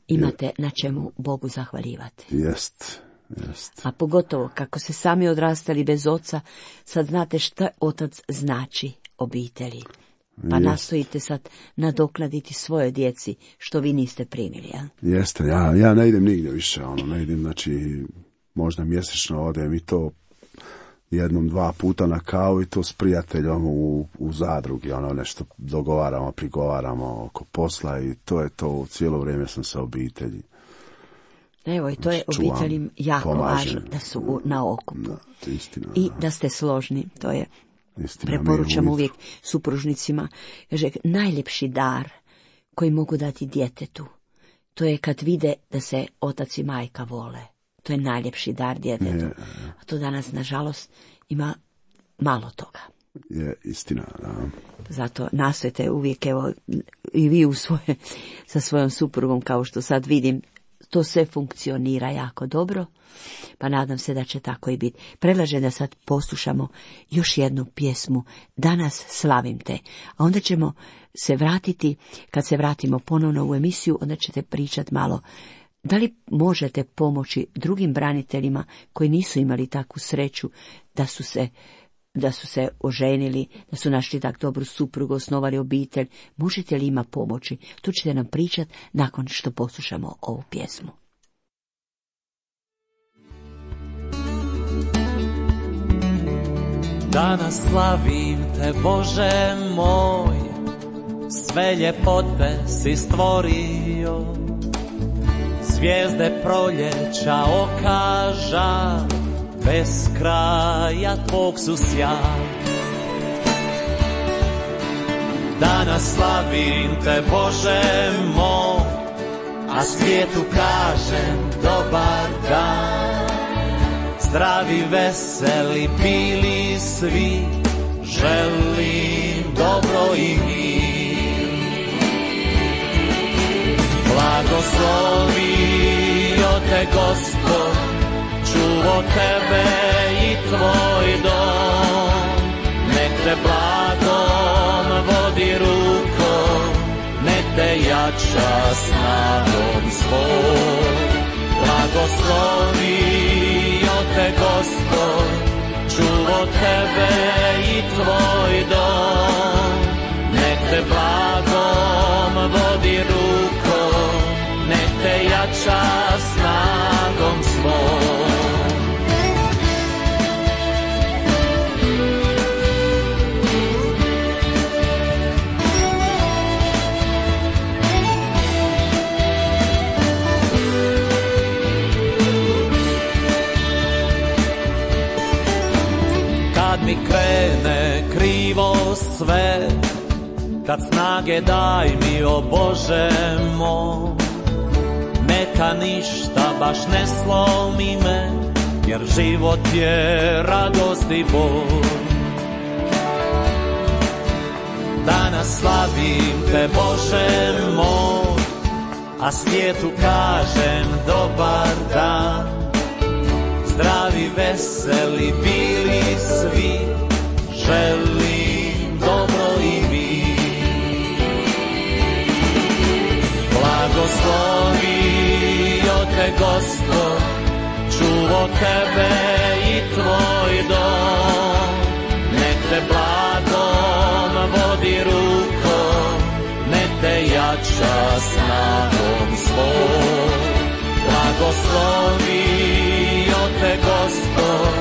imate je. na čemu Bogu zahvaljivati. Jest, jest. A pogotovo kako se sami odrastali bez oca, sad znate šta otac znači obitelji. Pa jest. Nastojite sad nadoknaditi svoje djeci što vi niste primili, ja? Jeste, ja, ja ne idem nigdje više, ono, ne idem, znači, možda mjesečno odem i to jednom, dva puta na kavu i to s prijateljom u, u zadrugi, ono, nešto dogovaramo, prigovaramo oko posla i to je to, cijelo vrijeme sam sa obitelji. Evo, i to je Čuvam, obiteljim jako pomažem. važno, da su na okupu. Da, istina, I da. da ste složni, to je, istina, preporučam uvijek supružnicima, kaže, najljepši dar koji mogu dati djetetu, to je kad vide da se otac i majka vole. To je najljepši dar djetetu. Je, a to danas, nažalost, ima malo toga. Je, istina, da. Zato nastojte uvijek, evo, i vi u svoje, sa svojom suprugom, kao što sad vidim, to sve funkcionira jako dobro, pa nadam se da će tako i biti. Predlažem da sad poslušamo još jednu pjesmu, Danas slavim te, a onda ćemo se vratiti, kad se vratimo ponovno u emisiju, onda ćete pričati malo, da li možete pomoći drugim braniteljima koji nisu imali takvu sreću da su se da su se oženili, da su našli tak dobru suprugu, osnovali obitelj, možete li ima pomoći? Tu ćete nam pričati nakon što poslušamo ovu pjesmu. Danas slavim te, Bože moj, sve ljepote si stvorio, zvijezde proljeća okaža, bez kraja tvog su sjaj. Danas slavim te, Bože moj, a svijetu kažem dobar dan. Zdravi, veseli bili svi, želim dobro i mir. Blagoslovio te Gospod, čuvo tebe i tvoj dom, nek te blagom vodi rukom, nek te jača snagom svoj. Blagoslovio te Gospod, čuvo tebe i tvoj dom, nek te blagom vodi rukom, nek te jača snagom svoj. Mi krene krivo sve, kad snage daj mi, o Bože moj, neka ništa baš ne slomi me, jer život je radost i bol. Danas slavim te, Bože moj, a svijetu kažem dobar dan. Zdravi, veseli bili svi, želim dobro i mir. Blagoslovio te Gospod, čuvo tebe i tvoj dom, nek te blagom vodi rukom, nek te jača snagom svoj. Blagoslovio te Gospod,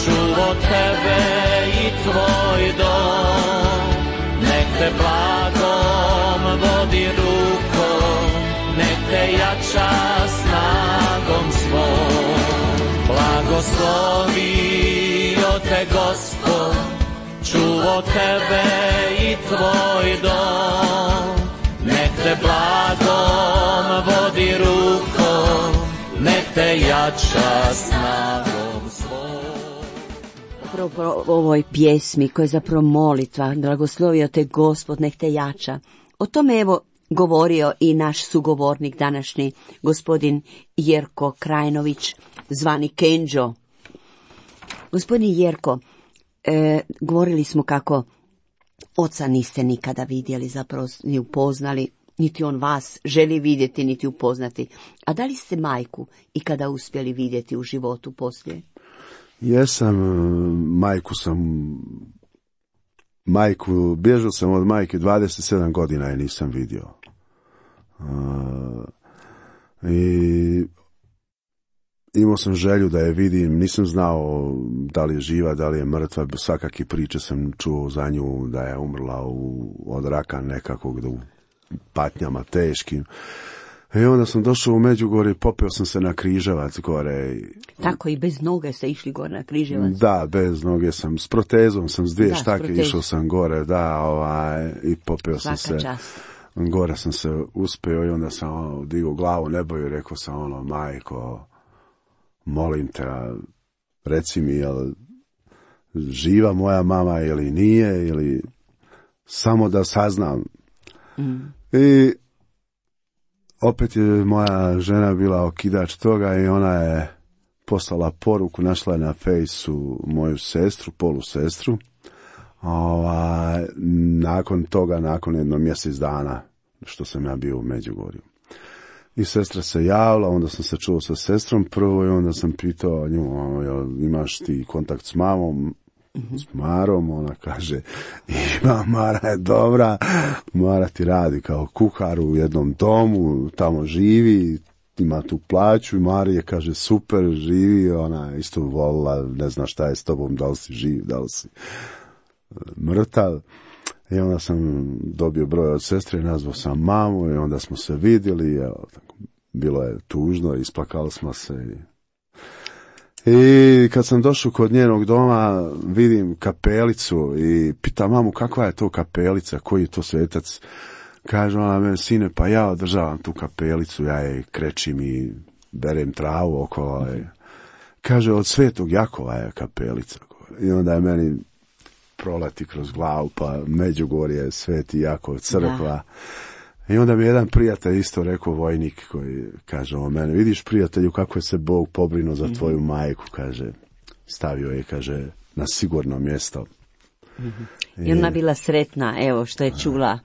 čuvo tebe i tvoj dom, nek te blagom vodi rukom, nek te jača snagom svoj. Blagoslovio te Gospod, čuvo tebe i tvoj dom, nek te blagom vodi rukom, nek te jača snagom svoj. zapravo po ovoj pjesmi koja je zapravo molitva, blagoslovio te Gospod, nek te jača. O tome evo govorio i naš sugovornik današnji, gospodin Jerko Krajnović, zvani Kenđo. Gospodin Jerko, e, govorili smo kako oca niste nikada vidjeli, zapravo ni upoznali, niti on vas želi vidjeti, niti upoznati. A da li ste majku ikada uspjeli vidjeti u životu poslije? Jesam, majku sam, majku, bježao sam od majke dvadeset sedam godina i nisam vidio. Uh, I imao sam želju da je vidim, nisam znao da li je živa, da li je mrtva, svakakve priče sam čuo za nju da je umrla u, od raka nekakvog, u patnjama teškim. I onda sam došao u Međugorje, popeo sam se na Križevac gore. Tako i bez noge ste išli gore na Križevac? Da, bez noge sam, s protezom sam, s dvije da, štake išao sam gore, da, ovaj, i popeo sam se. Čast. Gore sam se uspeo i onda sam ono, digao glavu nebo i rekao sam ono, majko, molim te, reci mi, jel živa moja mama ili nije, ili samo da saznam. Mm. I opet je moja žena bila okidač toga i ona je poslala poruku, našla je na fejsu moju sestru, polu sestru. Ova, nakon toga, nakon jedno mjesec dana što sam ja bio u Međugorju. I sestra se javila, onda sam se čuo sa sestrom prvo i onda sam pitao nju, imaš ti kontakt s mamom? Mm-hmm. S Marom, ona kaže, ima, Mara je dobra, Mara ti radi kao kuhar u jednom domu, tamo živi, ima tu plaću i Marija kaže, super, živi, ona isto volila, ne zna šta je s tobom, da li si živ, da li si mrtav. I onda sam dobio broj od sestre, nazvao sam mamu i onda smo se vidjeli, evo, tako, bilo je tužno, isplakali smo se i I kad sam došao kod njenog doma, vidim kapelicu i pitam mamu kakva je to kapelica, koji je to svetac. Kaže ona meni, sine, pa ja održavam tu kapelicu, ja je krečim i berem travu okolo. Kaže, od Svetog Jakova je kapelica. I onda je meni proleti kroz glavu, pa Međugorje, Sveti Jakov, crkva. Da. I onda mi jedan prijatelj isto rekao, vojnik, koji kaže o mene, vidiš prijatelju kako je se Bog pobrinuo za tvoju mm-hmm. majku, kaže, stavio je, kaže, na sigurno mjesto. Mm-hmm. I ona bila sretna, evo, što je čula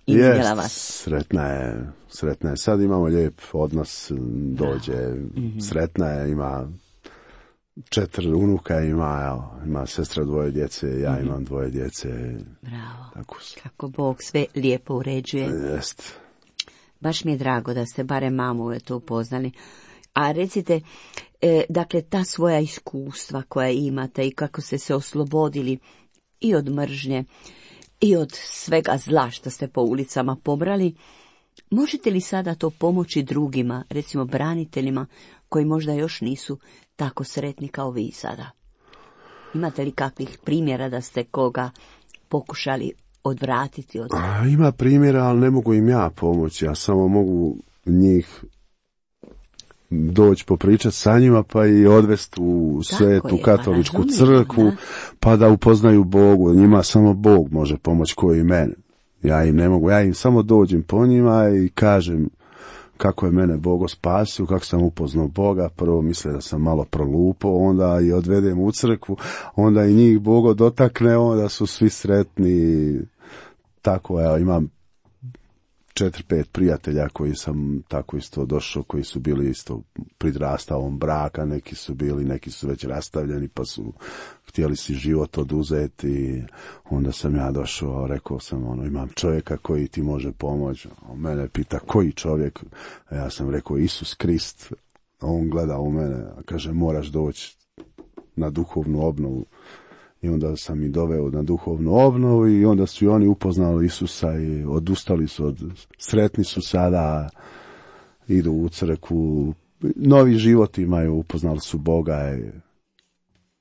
i vidjela vas. Sretna je, sretna je. Sad imamo lijep odnos, dođe, mm-hmm. sretna je, ima četiri unuka, ima, evo, ima sestra dvoje djece, ja mm-hmm. imam dvoje djece. Bravo, tako kako Bog sve lijepo uređuje. Jest. Baš mi je drago da ste barem mamu to upoznali. A recite, e, dakle, ta svoja iskustva koja imate i kako ste se oslobodili i od mržnje i od svega zla što ste po ulicama pobrali, možete li sada to pomoći drugima, recimo braniteljima, koji možda još nisu tako sretni kao vi sada? Imate li kakvih primjera da ste koga pokušali odvratiti od... A, ima primjera, ali ne mogu im ja pomoći. Ja samo mogu njih doći popričati sa njima, pa i odvesti u svetu je, katoličku pa crkvu, da. Pa da upoznaju Bogu. Njima samo Bog može pomoći koji i mene. Ja im ne mogu, ja im samo dođem po njima i kažem kako je mene Bogo spasio, kako sam upoznao Boga. Prvo misle da sam malo prolupao, onda i odvedem u crkvu, onda i njih Bogo dotakne, onda su svi sretni. Tako, evo, imam četiri, pet prijatelja koji sam tako isto došao, koji su bili isto pridrastavom braka, neki su bili, neki su već rastavljeni, pa su htjeli si život oduzeti. Onda sam ja došao, rekao sam, ono, imam čovjeka koji ti može pomoći. On mene pita, koji čovjek? A ja sam rekao, Isus Krist. A on gleda u mene, a kaže, moraš doći na duhovnu obnovu. I onda sam ih doveo na duhovnu obnovu i onda su i oni upoznali Isusa i odustali su od, sretni su sada, idu u crkvu, novi život imaju, upoznali su Boga i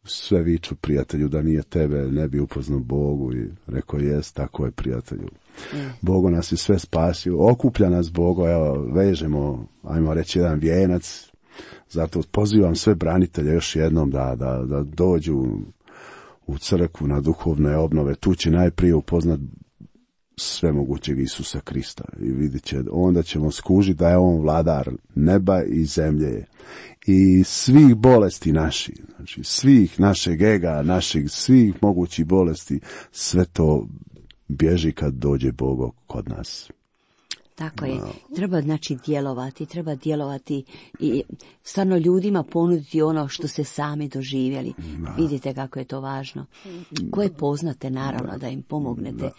sve viču prijatelju da nije tebe, ne bi upoznao Bogu i rekao jest, tako je prijatelju. Mm. Bogo nas je sve spasio, okuplja nas Bogo, evo, vežemo, ajmo reći, jedan vijenac, zato pozivam sve branitelje još jednom da, da, da dođu u crkvu, na duhovne obnove. Tu će najprije upoznat svemogućeg Isusa Krista i vidjet će, onda ćemo skužiti da je on vladar neba i zemlje i svih bolesti naših, znači svih našeg ega, naših svih mogućih bolesti, sve to bježi kad dođe Bog kod nas. Tako je. Treba znači djelovati, treba djelovati i stvarno ljudima ponuditi ono što ste sami doživjeli. Da. Vidite kako je to važno. Koje poznate, naravno, da im pomognete da.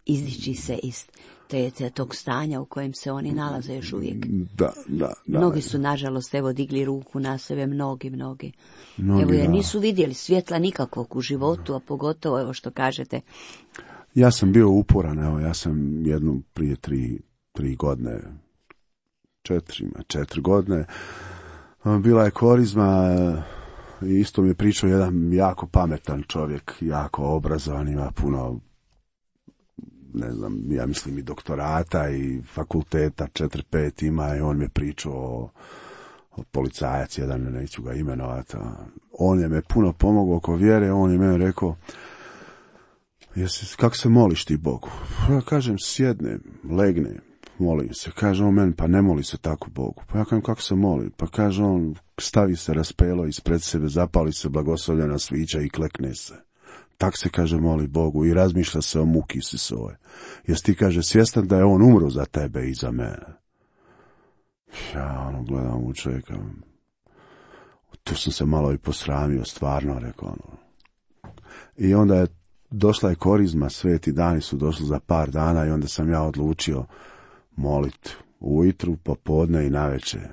Izdići se iz te, te, tog stanja u kojem se oni nalaze još uvijek. Da, da, da. Mnogi su, nažalost, evo, digli ruku na sebe, mnogi, mnogi. mnogi evo, jer nisu vidjeli svjetla nikakvog u životu, a pogotovo, evo što kažete. Ja sam bio uporan, evo, ja sam jednu prije tri tri godine, četiri, četiri godine, bila je korizma i isto mi je pričao jedan jako pametan čovjek, jako obrazovan, ima puno, ne znam, ja mislim i doktorata i fakulteta, četiri, pet ima i on mi je pričao o, o policajac, jedan, neću ga imenovati, on je me puno pomogao oko vjere, on je meni rekao, jesi, kako se moliš ti Bogu? Ja kažem, sjednem, legnem, molim se. Kaže on meni, pa ne moli se tako Bogu. Pa ja kažem, kako se moli? Pa kaže on, stavi se raspelo ispred sebe, zapali se blagoslovljena svića i klekne se. Tak se, kaže, moli Bogu i razmišlja se o muki Isusove. Jesi ti, kaže, svjestan da je on umro za tebe i za mene? Ja ono gledam u čovjeka. Tu sam se malo i posramio, stvarno, rekao ono. I onda je došla je korizma, sveti dani su došli za par dana i onda sam ja odlučio moliti ujutru, popodne i navečer.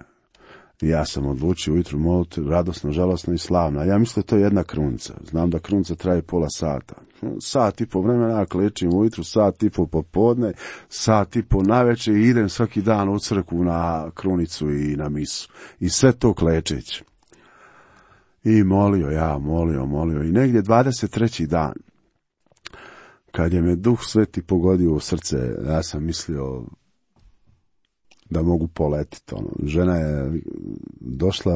I ja sam odlučio ujutru moliti radosno, žalosno i slavno. Ja mislim da to je jedna krunca. Znam da krunca traje pola sata. Sat i po vremena ja klečim ujutru, sat i po popodne, sat i po navečer i idem svaki dan u crkvu na krunicu i na misu. I sve to klečeć. I molio ja, molio, molio. I negdje dvadeset treći dan, kad je me Duh Sveti pogodio u srce, ja sam mislio da mogu poletiti. Ono. Žena je došla,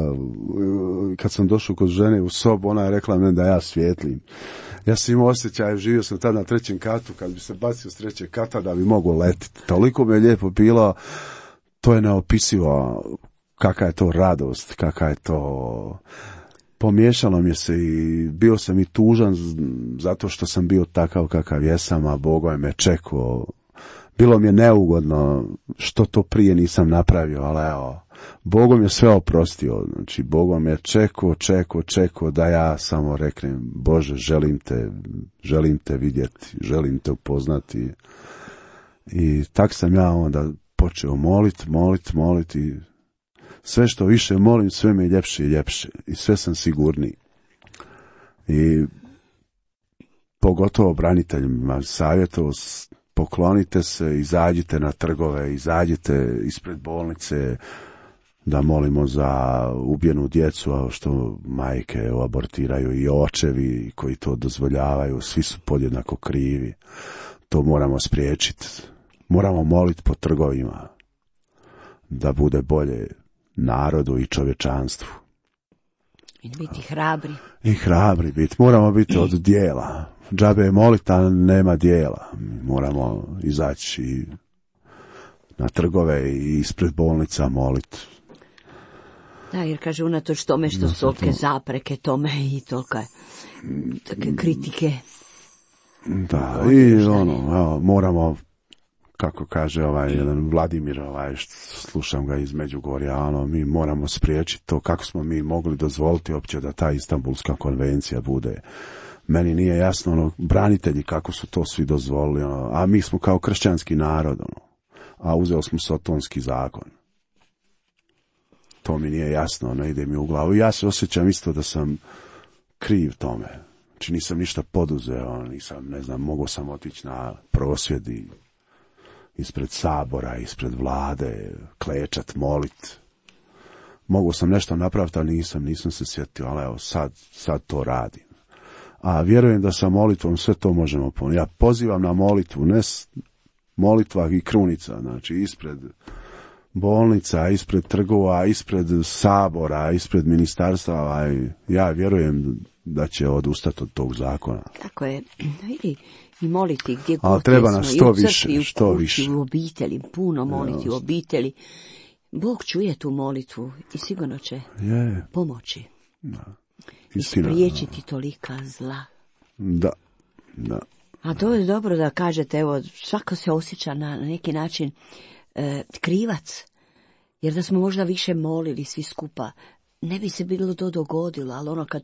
kad sam došao kod žene u sobu, ona je rekla meni da ja svijetlim. Ja sam imao osjećaj, živio sam tada na trećem katu, kad bi se bacio s trećeg kata da bi mogao letiti. Toliko mi je lijepo bilo, to je neopisivo, kakva je to radost, kakva je to... Pomiješalo mi se i bio sam i tužan zato što sam bio takav kakav jesam, a Bogo je me čekao. Bilo mi je neugodno što to prije nisam napravio, ali evo, Bogo mi je sve oprostio. Znači, Bogo me je čekao, čekao, čekao da ja samo reknem, Bože, želim te, želim te vidjeti, želim te upoznati. I tak sam ja onda počeo moliti, moliti, moliti. Sve što više molim, sve mi je ljepše i ljepše. I sve sam sigurniji. I pogotovo braniteljima savjetovao, poklonite se, izađite na trgove, izađite ispred bolnice da molimo za ubijenu djecu, a što majke abortiraju i očevi koji to dozvoljavaju, svi su podjednako krivi. To moramo spriječiti. Moramo moliti po trgovima da bude bolje narodu i čovječanstvu. I biti hrabri. I hrabri biti. Moramo biti od dijela. Džabe je moliti, a nema dijela. Moramo izaći na trgove i ispred bolnica moliti. Da, jer kaže unatoč tome što su tolike zapreke tome i tolike take kritike. Da, i ono, evo, moramo, kako kaže ovaj jedan Vladimir, ovaj, slušam ga iz Međugorja, ono, mi moramo spriječiti to kako smo mi mogli dozvoliti uopće da ta Istanbulska konvencija bude. Meni nije jasno, ono, branitelji kako su to svi dozvolili, ono, a mi smo kao kršćanski narod, ono, a uzeli smo sotonski zakon. To mi nije jasno, ne ide mi u glavu. Ja se osjećam isto da sam kriv tome. Znači nisam ništa poduzeo, nisam, ne znam, mogao sam otići na prosvjedi ispred sabora, ispred vlade, klečat, molit. Mogao sam nešto napraviti, ali nisam, nisam se sjetio, ali evo, sad, sad to radim. A vjerujem da sa molitvom sve to možemo ponijeti. Ja pozivam na molitvu, ne molitva i krunica, znači ispred bolnica, ispred trgova, ispred sabora, ispred ministarstva. Ja vjerujem da će odustati od tog zakona. Tako je, vidi, i moliti gdje ali god treba smo, nas i to u crkvi, više, i u što kući, više. u obitelji, puno moliti Ja, u obitelji. Bog čuje tu molitvu i sigurno će je. pomoći. Da. I Istina. spriječiti tolika zla. Da, da. A to je dobro da kažete, evo, svako se osjeća na neki način e, krivac, jer da smo možda više molili svi skupa, ne bi se bilo to dogodilo, ali ono kad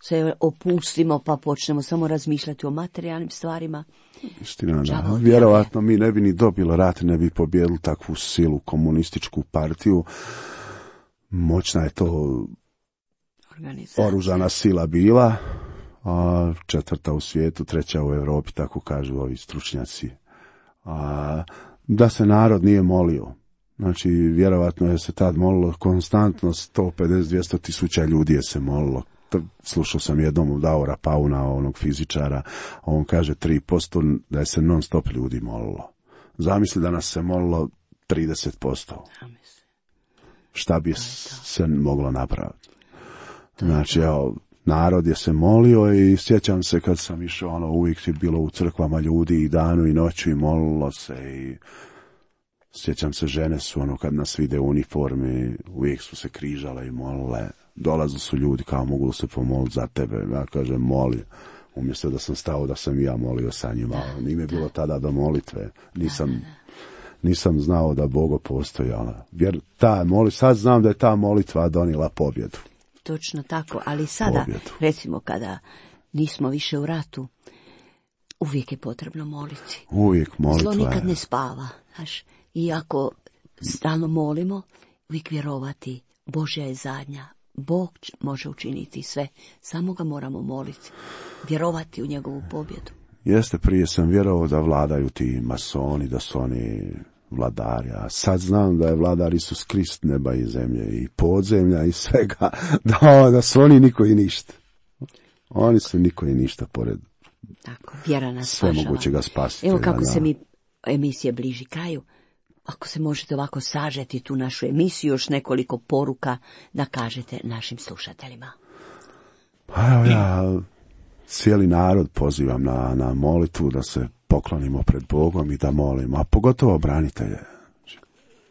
se opustimo pa počnemo samo razmišljati o materijalnim stvarima. Istina, da. Vjerovatno mi ne bi ni dobili rat, ne bi pobjedili takvu silu, komunističku partiju. Moćna je to oružana sila bila, a četvrta u svijetu, treća u Europi, tako kažu ovi stručnjaci. A, da se narod nije molio. Znači, vjerovatno je se tad molilo konstantno, sto pedeset do dvjesto tisuća ljudi je se molilo. Slušao sam jednom od Davora Pauna, onog fizičara, on kaže tri posto da je se non stop ljudi molilo. Zamisli da nas se molilo trideset posto. Šta bi se moglo napraviti? Znači, evo, narod je se molio i sjećam se kad sam išao, ono, uvijek je bilo u crkvama ljudi i danu i noću i molilo se i sjećam se, žene su, ono, kad nas vide u uniformi, uvijek su se križale i molile. Dolaze su ljudi kao mogu li se pomoliti za tebe. Ja kažem moli. Umjesto da sam stao da sam i ja molio sa njima. Da, nije bilo tada do molitve. Nisam, da, da, da. nisam znao da Bogo postoji. Jer ta moli, sad znam da je ta molitva donijela pobjedu. Točno tako, ali sada, pobjedu. Recimo kada nismo više u ratu, uvijek je potrebno moliti. Uvijek molitva. Zlo nikad ne spava. Znaš, i ako stalno molimo, uvijek vjerovati, Božja je zadnja. Bog može učiniti sve, samo ga moramo moliti, vjerovati u njegovu pobjedu. Jeste, prije sam vjerovao da vladaju ti masoni, da su oni vladari, a sad znam da je vladar Isus Krist neba i zemlje i podzemlja i svega, da, da su oni niko i ništa. Oni su niko i ništa pored tako, vjera nas sve spašava. Mogućega spasiti. Evo kako da, se mi emisije bliži kraju. Ako se možete ovako sažeti tu našu emisiju, još nekoliko poruka da kažete našim slušateljima. Pa evo ja cijeli narod pozivam na, na molitvu, da se poklonimo pred Bogom i da molimo, a pogotovo branitelje.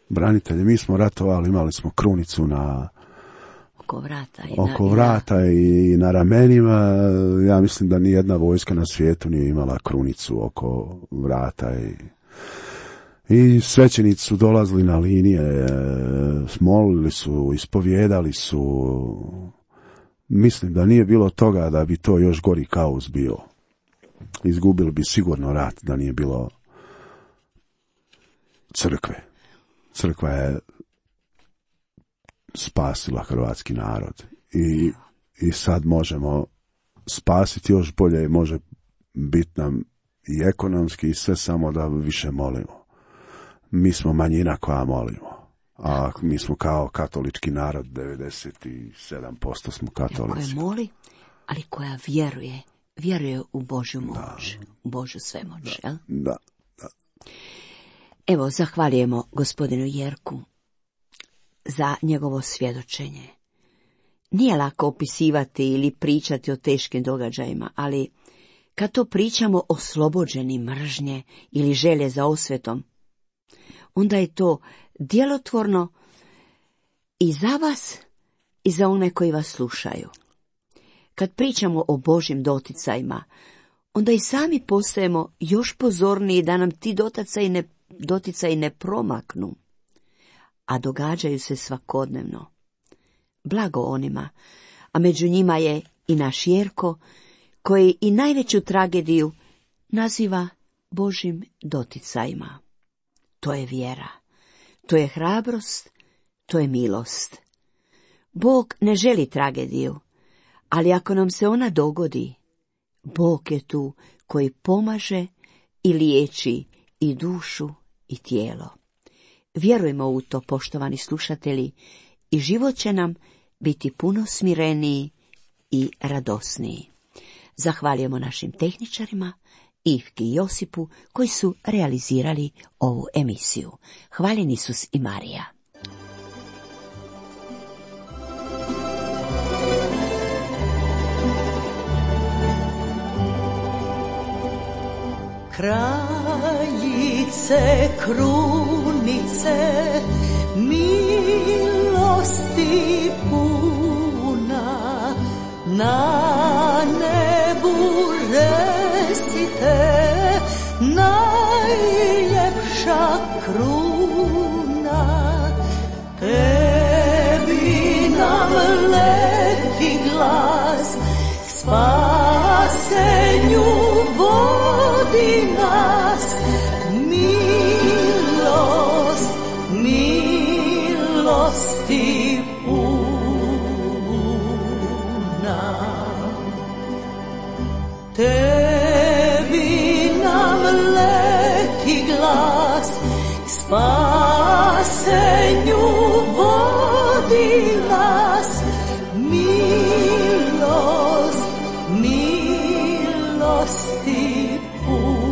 Branitelje, mi smo ratovali, imali smo krunicu na oko vrata i, oko na, vrata i na ramenima. Ja mislim da ni jedna vojska na svijetu nije imala krunicu oko vrata i I svećenici su dolazili na linije, molili su, ispovjedali su. Mislim da nije bilo toga da bi to još gori kaos bio. Izgubili bi sigurno rat da nije bilo crkve. Crkva je spasila hrvatski narod. I, i sad možemo spasiti još bolje, može biti nam i ekonomski i sve, samo da više molimo. Mi smo manjina koja molimo, a mi smo kao katolički narod, devedeset sedam posto smo katolici. Koja moli, ali koja vjeruje, vjeruje u Božju moć, da. U Božju svemoć, da, jel? Da, da. Evo, zahvaljujemo gospodinu Jerku za njegovo svjedočenje. Nije lako opisivati ili pričati o teškim događajima, ali kad to pričamo oslobođeni mržnje ili želje za osvetom, onda je to djelotvorno i za vas i za one koji vas slušaju. Kad pričamo o Božjim doticajima, onda i sami postajemo još pozorniji da nam ti doticaji ne, doticaji ne promaknu, a događaju se svakodnevno. Blago onima, a među njima je i naš Jerko, koji i najveću tragediju naziva Božjim doticajima. To je vjera, to je hrabrost, to je milost. Bog ne želi tragediju, ali ako nam se ona dogodi, Bog je tu koji pomaže i liječi i dušu i tijelo. Vjerujemo u to, poštovani slušatelji, i život će nam biti puno smireniji i radosniji. Zahvaljujemo našim tehničarima, Ivki i Josipu, koji su realizirali ovu emisiju. Hvaljen Isus i Marija. Kraljice, krunice, milosti puna, na nebu resite, najljepša kruna. Tebi nam leti glas, k spasenju vodi nas, milost, milosti puna. Tebi nam leti glas, k spasenju vodi nas, milost, milosti puna.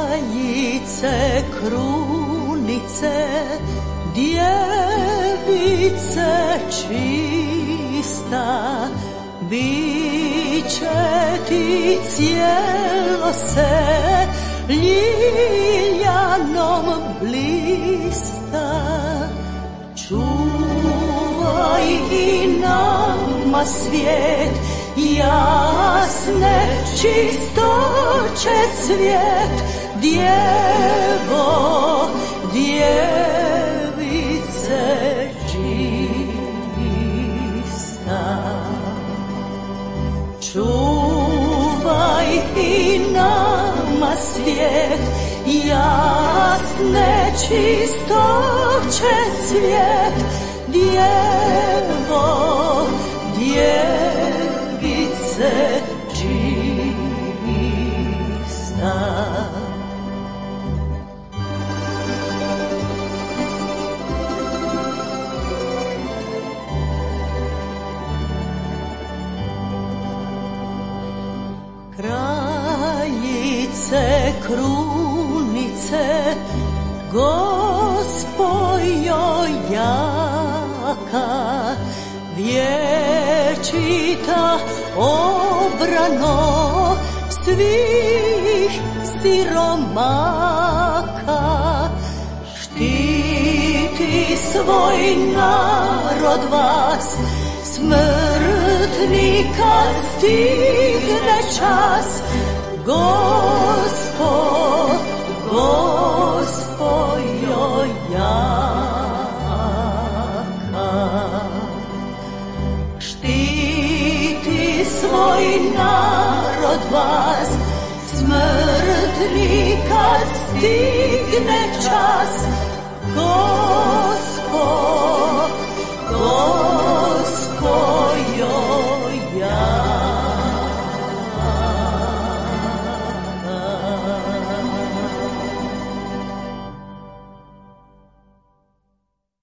Kraljice, krunice, djevice čista, biće ti cijelo se ljiljanom blista. Čuvaj i nama svijet, jasne čistoće cvijet, djevo, djevice čista. Čuvaj i nama svijet, jasne čistoće cvijet, djevo, djevice čista. Kraljice, krunice, Gospojo jaka, vječita obrano svih siromaka. Štiti svoj narod vas, smrtni kad stigne čas. Gospo, Gospojo jaka, štiti svoj narod vas, smrtni kad stigne čas. Gospo, Gospo